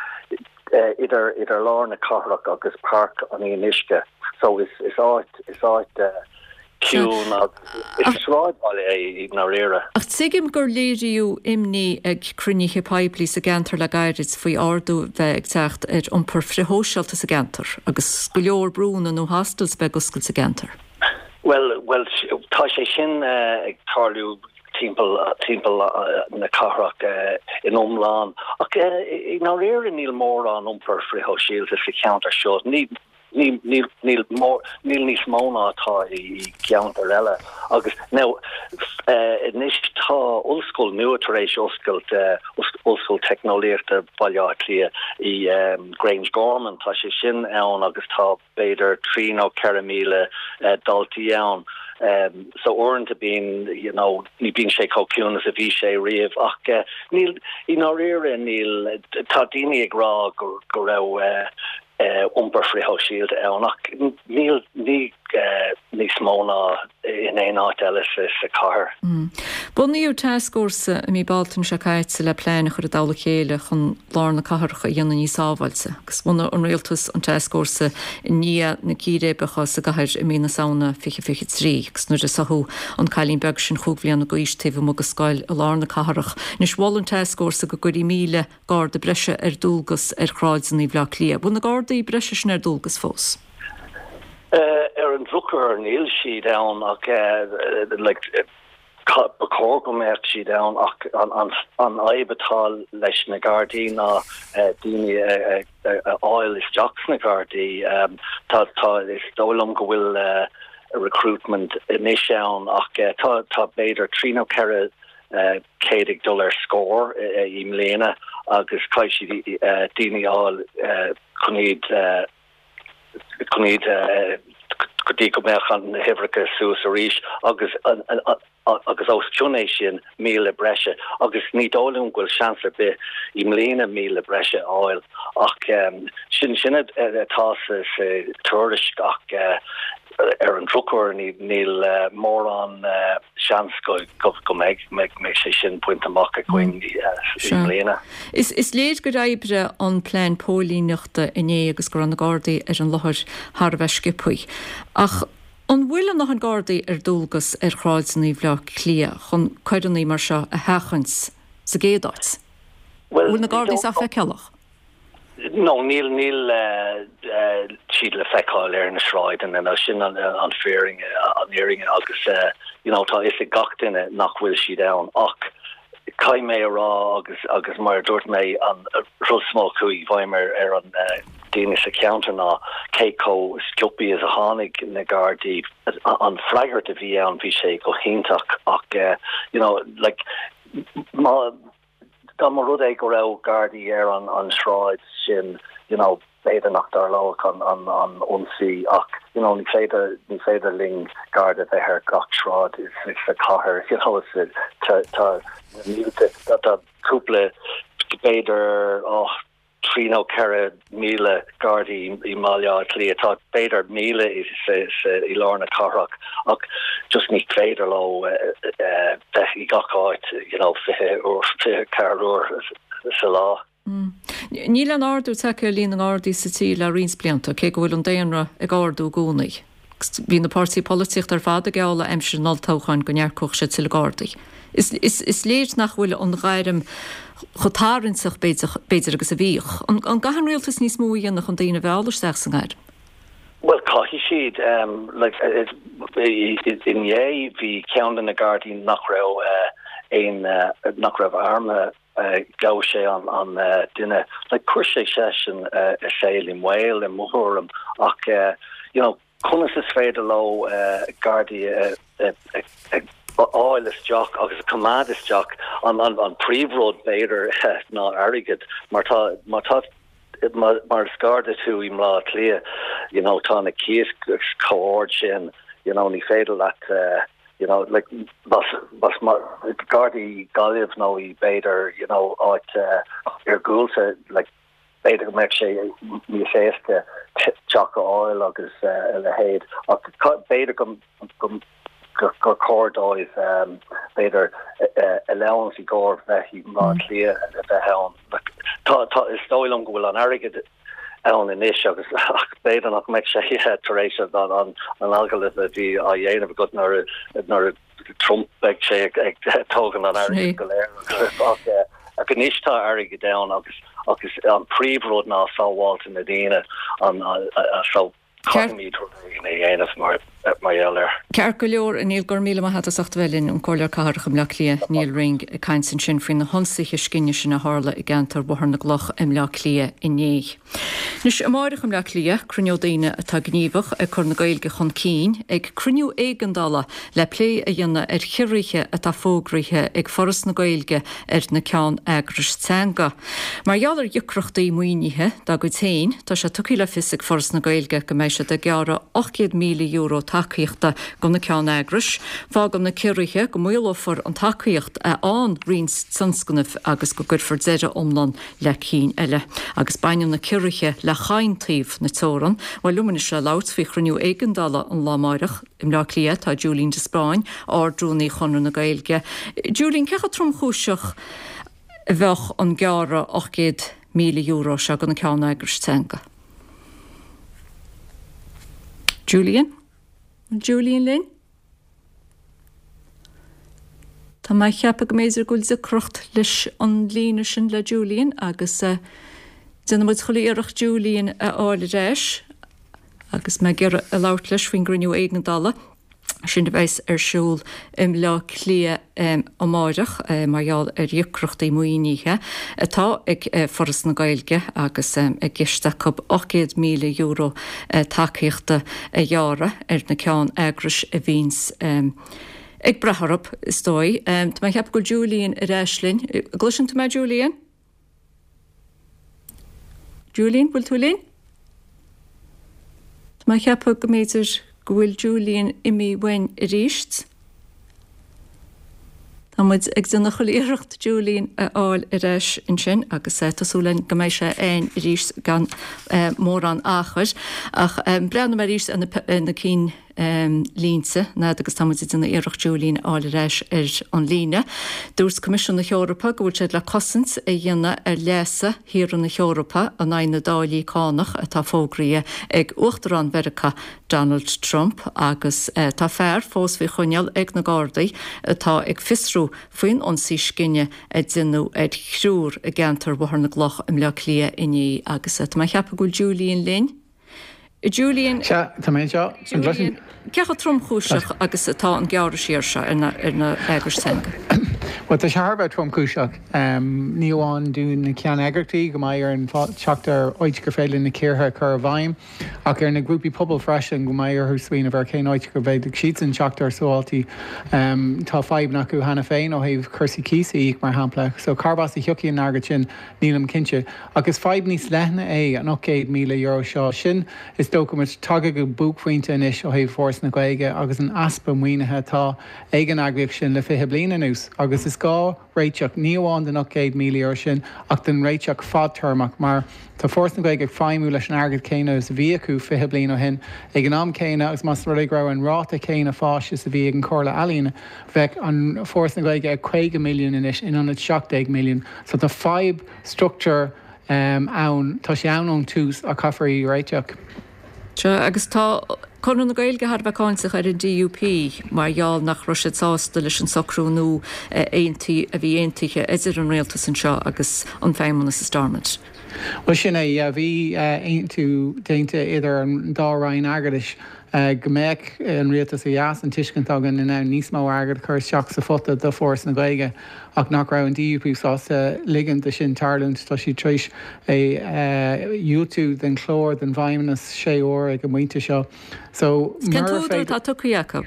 idir, idir lár na cathrach agus Páirc an Fhionnuisce so is, is áit, is áit ciúin agus is sráidbhaile é i ndáiríre. Ach tuigim gur léiríodh imní ag cruinnithe poiblí sa gceantar le gairid faoi ardú a bheith ag teacht ar iompar frithshóisialta sa gceantar agus go leor brúnna nó hostels bheith ag oscailt sa gceantar. Bhuel, bhuel, tá sé sin ag tarlú timpeall, timpeall na cathrach in iomlán. Ach i ndáiríre níl mórán iompar frithshóisialta sa cheantar seo. Ní, Níl, níl, níl mór, níl níos mó ná atá i gceantair eile. Agus now, anois tá ollscoil nua tar éis oscailt, Ollscoil Teicneolaíochta Bhaile Átha Cliath i Grangegorman, tá sé sin ann agus tá b'fhéidir 3 nó 4,000 daltaí ann. So uaireanta bíonn, you know, ní bíonn sé chomh ciúin is a bhí sé riamh ach níl, i ndáiríre níl, tá daoine ag rá go, go raibh, iompar frithshóisialta ann ach níl ní níos mó ná in aon áit eile sa chathair. Bunaíodh tascfhórsa i mí Bealtaine seo caite le plean a chur i dtoll a chéile chun lár na cathrach a dhéanamh níos sábháilte agus bhunaigh an rialtas an tascfhórsa i ndiaidh na círéibeacha sa gcathair i mí na Samhna 2023 agus nuair a sáthadh an cailín beag sin chúig bhliana d'aois taobh amuigh de scoil i lár na cathrach. Anois mhol an tascfhórsa go gcuirfí 1,000 garda breise ar dualgas ar shráideanna Bhaile Átha Cliath. Bhfuil na gardaí breise sin ar dualgas fós? Ar an drochuair níl siad ann ach like ba chóir go mbeadh siad ann ach an fhadhb atá leis na Gardaí ná daoine a fháil isteach sna Gardaí. Tá tá is dóigh liom go bhfuil recruitment anois ann ach tá tá b'fhéidir 3 nó 4 100 ag dul ar scor i mbliana agus caithfidh siad daoine a fháil chun iad chun iad go dtí go mbeadh na huimhreacha suas arís agus agus os cionn é sin 1,000 breise agus ní dóigh liom go bhfuil seans ar bith i mbliana 1,000 breise a fháil ach sin sin atá sa tuairisc ach ar an drochuair níl mórán seans go mbeidh sé sin bainte amach againn i mbliana. Is léir gur oibrigh an plean póilíneachta inné agus go raibh na Gardaí ar an láthair thar a bheith sciobthaí. Ach an bhfuil a ndóthain Gardaí ar dualgas ar shráideanna Bhaile Átha Cliath chun coireanna mar seo a sheachaint sa gcéad áit? An bhfuil na Gardaí sách feiceálach? No, níl, níl siad le feiceáil ar na sráideanna, nó sin an fírinne, an fhírinne agus you know tá fhios ag gach duine nach bhfuil siad ann ach caithfidh mé a rá agus agus mar a dúirt mé an rud is mó a chuaigh i bhfeidhm ar ar an daoine sa cheantar ná cé chomh sciobthaí is a tháinig na Gardaí, an freagairt a bhí ann bhí sé go hiontach ach you know like má Dá mba rud é go raibh Gardaí ar an sráid sin you know b'fhéidir nach dtarlódh an an ionsaí ach you know ní féidir ní féidir linn Garda bheith ar gach sráid sa chathair you know tá tá na mílte tá cúpla b'fhéidir oh 3 nó 4,000 Gardaí i mBaile Átha Cliath. Tá b'fhéidir 1,000 i lár na cathrach ach just ní féidir leo bheith i gach áit you know 20 uair, 24 uair sa lá. Níl aon ardú tagtha ar líon na nGardaí sa tír le roinnt blianta, cé go bhfuil an daonra ag ardú i gcónaí. Bhí na páirtithe polaitíochta ar fad ag gealladh aimsir an olltoghcháin go n-earcódh siad tuilleadh Gardaí. Is léir nach bhfuil an ghairm chomh tarraingteach, b'fhéidir, agus a bhíodh. An gcaithfidh an rialtas níos mó a dhéanamh chun daoine a mhealladh isteach sa ngairm? Bhuel, caithfidh siad. Inné bhí ceann de na Gardaí nach raibh aon, nach raibh armtha, Ghabh sé an duine. Like, chuir sé seisean a saol i mbaol, i mo thuairim, ach you know, conas is féidir leo Gardaí a fháil isteach agus a choimeád isteach? An príomhrud, b'fhéidir, ná airgead, mar tá, má tá, mar is Garda tú i mBleá Cliath, you know, tá na cíos chomh ard sin, you know, ní féidir leat you know, like, más, más, Garda i Gaillimh nó i b'fhéidir, you know, áit iargúlta, like, b'fhéidir go mbeadh sé níos éasca. teach a fháil agus a leithéid ach b'fhéidir go gur chóir dóibh b'fhéidir allowance i gcomhair bheith i mBleá Cliath a bheith ann. Tá, tá, is dóigh liom go bhfuil an airgead ann anois agus ach b'fhéidir nach mbeidh sé tar éis an an agallamh a bhí á dhéanamh agat nuair nuair Trump beidh sé ag tógaint an airgead go léir ach ach anois tá airgead ann agus agus an príomhrud ná sábháilte na daoine an so Caithfimid rud éigin a dhéanamh mar gheall air. Ceart go leor, a Neil, go raibh míle maith agat as ucht a bheith linn, an Comhairleoir Cathrach i mBleá Cliath, Neil Ring, ag caint ansin faoi na hionsaithe scine sin a tharla i gceantar Bhóthar na gCloch i mBleá Cliath inné. Anois, amáireach i mBleá Cliath, cruinneoidh daoine atá gníomhach ag cur na Gaeilge chun cinn ag cruinniú éigeandála le plé a dhéanamh ar chiorruithe atá fógraithe ag Foras na Gaeilge ar na ceann-eagrais teanga. Mar gheall ar dheacrachtaí maoinithe dá gcuid féin, tá sé tugtha le fios ag Foras na Gaeilge go mbeidh siad ag gearradh €800,000 tacaíochta go na ceann-eagrais. Fágann na ciorruithe go maolófar an tacaíocht a fhaigheann roinnt tionscnamh agus go gcuirfear deireadh iomlán le cinn eile. Agus baineann na ciorruithe le chaon taobh na teorann. Bhuel, liom anois le labhairt faoi chruinniú éigeandála an lá amáireach i mBleá Cliath tá Julian de Spáinn, Ard-Rúnaí Chonradh na Gaeilge. Julian, cé chomh tromchúiseach a bheadh an gearradh €800,000 seo do na ceann-eagrais teanga? Julian? An Julian linn? Tá mé ag ceapadh go mb'fhéidir go bhfuil deacracht leis an líne sin le Julian agus déanfaidh muid chuile iarracht Julian a fháil ar ais agus mé ag iarraidh a labhairt leis faoin gcruinniú éigeandála sin a bheas ar siúl i mBleá Cliath amáireach mar gheall ar dheacrachtaí maoinithe atá ag Foras na Gaeilge agus i gceist acu €800,000 tacaíochta a ghearradh ar na ceann-eagrais a bhíonns ag brath orthu, is dóigh. Tá mé ag ceapadh go bhfuil Julian ar ais linn. Gcloiseann tú mé, Julian? Julian, bhfuil tú linn? Tá mé ag ceapadh go mb'fhéidir go bhfuil Julian imithe uainn arís. Tá muid ag déanamh chuile iarracht Julian a fháil ar ais ansin agus tá súil againn go mbeidh sé againn arís gan mórán achair. Ach breathnóidh mé arís ar na cinn línte, an fhad agus tá muid ag déanamh iarracht Julian a fháil ar ais ar an líne. Dúirt Coimisiún na hEorpa go bhfuil siad le cosaint a dhéanamh ar leasa thíortha na hEorpa in aghaidh na dtáillí cánach atá fógraithe ag Uachtarán Mheiriceá Donald Trump agus tá fear fós faoi choinneáil ag na Gardaí atá ag fiosrú faoin ionsaí scine a deineadh ar thriúr i gceantar Bhóthar na gCloch i mBleá Cliath inné agus tá mé ag ceapadh go bhfuil Julian linn. Julian. Sea, tá mé anseo. An gcloiseann? Cé chomh tromchúiseach agus atá an gearradh siar seo ar na heagrais teanga? Bhuel, tá sé thar a bheith tromchúiseach. Ní amháin do na ceanneagraíochtaí go mbeidh orainn teacht ar áit gur féidir na ciorruithe a chur i bhfeidhm, ach ar na grúpaí pobail freisin, go mbeidh orthu smaoineamh ar cén áit go bhféadfadh siadsan teacht ar shábháiltí. Tá fadhbanna acu cheana féin ó thaobh cúrsaí cíosa a íoc, mar shampla. So, cárb as a thiocfaidh an airgead sin? Nílim cinnte. Ach is fadhb níos leithne é an €800,000 seo. Sin, is dócha, muid tagtha go buaicphointe anois ó thaobh Foras na Gaeilge agus an easpa maoinithe atá ag an eagraíocht sin le 20 bliain anuas. Agus is gá réiteach, ní amháin don €800,000 sin ach don réiteach fadtéarmach mar tá Foras na Gaeilge ag feidhmiú leis an airgead céanna is a bhí acu 20 bliain ó shin. Ag an am céanna, agus más rud é go raibh an ráta céanna fáis is a bhí ag an Chomhairle Ealaíon, bheadh an Foras na Gaeilge ag 50 milliún anois in ionad 17 milliún. So tá fadhb struchtúir ann, tá sé ann ón tús ach caithfear í a réiteach. Sea, agus tá Conradh na Gaeilge thar a bheith cáinteach ar an DUP mar gheall nach raibh siad sásta leis an socrú nua a aontaí, a bhí aontaithe idir an rialtas anseo agus an Feidhmeannas i Stormont. Bhuel sin é, yeah, bhí aontú déanta idir an dá roinn airgeadais go mbeadh an rialtas ó dheas, an tuiscint againn, in ann níos mó airgid a chur isteach sa phota do Foras na Gaeilge ach nach raibh an DUP sásta ligean do sin tarlúint. Tá siad tar éis é a dhiúltú den chlár don bhFeidhmeannas sé huaire ag an bpointe seo. So, Cén murar t-údar féidir. atá tugtha acu?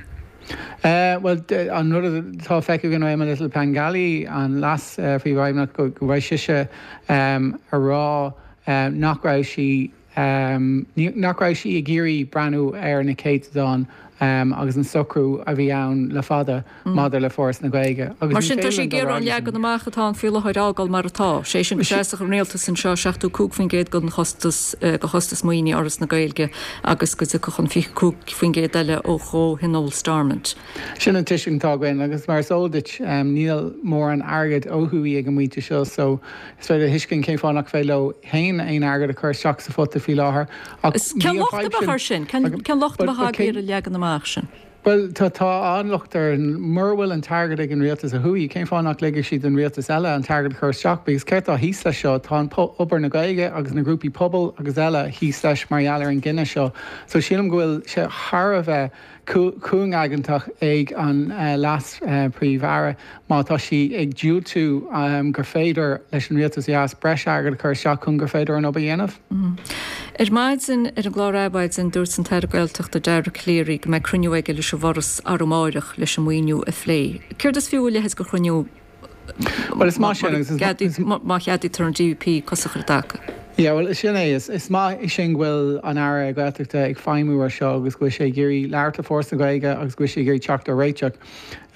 Bhuel, an rud atá feicthe againn ó Emma Little Pengelly, an leas-phríomhfheidhmeannach, go raibh sise a rá nach raibh sí, nach raibh sí ag iarraidh breathnú ar na céatadáin. agus an socrú a bhí ann le fada maidir le Foras na Gaeilge. Agus Mar ní sin, tá féidir sé linn ag dul ar iarraidh an aghaidh leis leagan amach atá ann faoi láthair a fhágáil mar atá, sé sin go seasfadh an rialtas anseo 75% den chostas, de chostas maoinithe Fhoras na Gaeilge agus go dtiocfadh an 25% eile ó Chomhthionól Stormont. Sin an tuiscint atá againn agus mar is eol duit níl mórán airgid ó thuaidh ag an muintir seo so is féidir a thuiscint cén fáth nach féidir leo féin aon airgead a chur isteach sa phota faoi láthair ach Cén bhí an locht a fadhb bheadh sin air sin? Cén locht a bheadh agaibh ar an leagan amach sin? Bhuel tá tá an-locht air. Mura bhfuil an t-airgead ag an rialtas ó thuaidh cén fáth nach ligfidh siad don rialtas eile an t-airgead a chur isteach because céard atá thíos leis seo? Tá an obair na Gaeilge agus na grúpaí pobail agus eile thíos leis mar gheall ar an gcinneadh seo so sílim go bhfuil sé thar a bheith cúngaigeantach ag an Leas-Phríomh-Aire má tá sí ag diúltú gur féidir leis an Rialtas ó dheas breis airgid a chur isteach chun gur féidir an obair a dhéanamh. Ar maidin ar an gclár Adhmhaidin, dúirt an tAire Gaeltachta Dara Calleary go mbeidh cruinniú aige leis an bhForas arú amáireach leis an maoiniú a phlé. Céard is fiú a leithéid de chruinniú Bhuel, is maith sin agus is. má cheadaítear an DUP cos a chur i dtaca? Yeah, bhuel, sin é. Is maith sin go bhfuil an Aire Gaeltachta ag feidhmiú ar seo agus go bhfuil sé ag iarraidh labhairt le Foras na Gaeilge agus go bhfuil sé ag iarraidh teacht ar réiteach.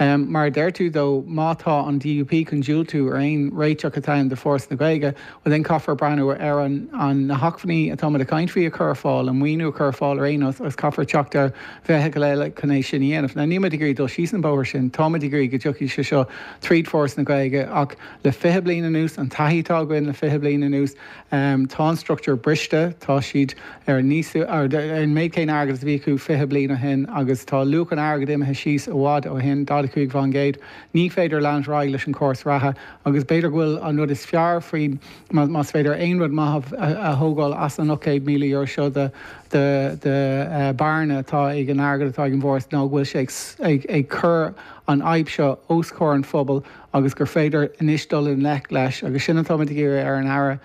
Mar a deir tú though, má tá an DUP chun diúltú ar aon réiteach atá ann do Foras na Gaeilge, bhuel then caithfear breathnú ar an na hacmhainní atá muid ag caint faoi a chur ar fáil, an maoiniú a chur ar fáil ar aon nós agus caithfear teacht ar bhealach eile chun é sin a dhéanamh. Now níl muid ag iarraidh dul síos an bóthar sin, tá muid ag iarraidh go dtiocfaidh sé seo tríd Foras na Gaeilge ach le 20 bliain anuas, an taithí atá againn le 20 bliain anuas, tá an struchtúr briste, tá siad ar níos lú, ar an méid céanna airgid is a bhí acu 20 bliain ó shin agus tá luach an airgid imithe síos i bhfad ó shin, 45%. Ní féidir leanúint ar aghaidh leis an chóras reatha agus b'fhéidir go bhfuil an rud is fearr faoin, más féidir aon rud maith a thógáil as an €800,000 seo de de bearna atá ag an airgead atá ag an bhForas ná go bhfuil sé ag cur an fhadhb seo os comhair an phobail agus gur féidir anois dul i ngleic leis agus sin atá muid ag iarraidh ar an Aire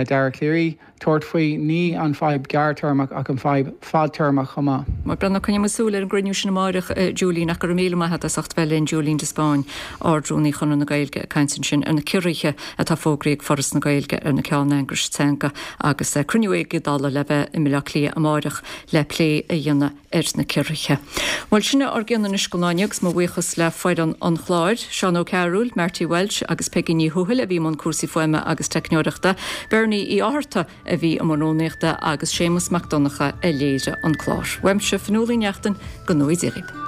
Dara Calleary tabhairt faoi, ní an fadhb gearrtéarmach ach an fadhb fadtéarmach chomh maith. Mar breathnú, coinneoidh muid súil ar an gcruinniú sin amáireach, a Julian, ach go raibh míle maith agat as ucht bheith linn, Julian de Spáinn, Ard-Rúnaí Chonradh na Gaeilge, ag caint ansin ar na ciorruithe atá fógraithe ag Foras na Gaeilge ar na ceanneagrais teanga agus cruinniú éigeandála le bheith i mBaile Átha Cliath amáireach le plé a dhéanamh ar na ciorruithe. Bhuel, sin é ár gcion anois don lá inniu agus mo bhuíochas le foireann an chláir, Seán Ó Cearúil, Marty Walsh agus Peigí Ní Thuathail a bhí i mbun cúrsaí fuaime agus teicneoireachta, Bernie Uí Fhátharta a bhí i mbun rúnaíochta agus Séamus Mac Donncha a léirigh an clár. Uaimse, Fionnuala Uí Neachtain, go ngnóthaí Dia dhaoibh.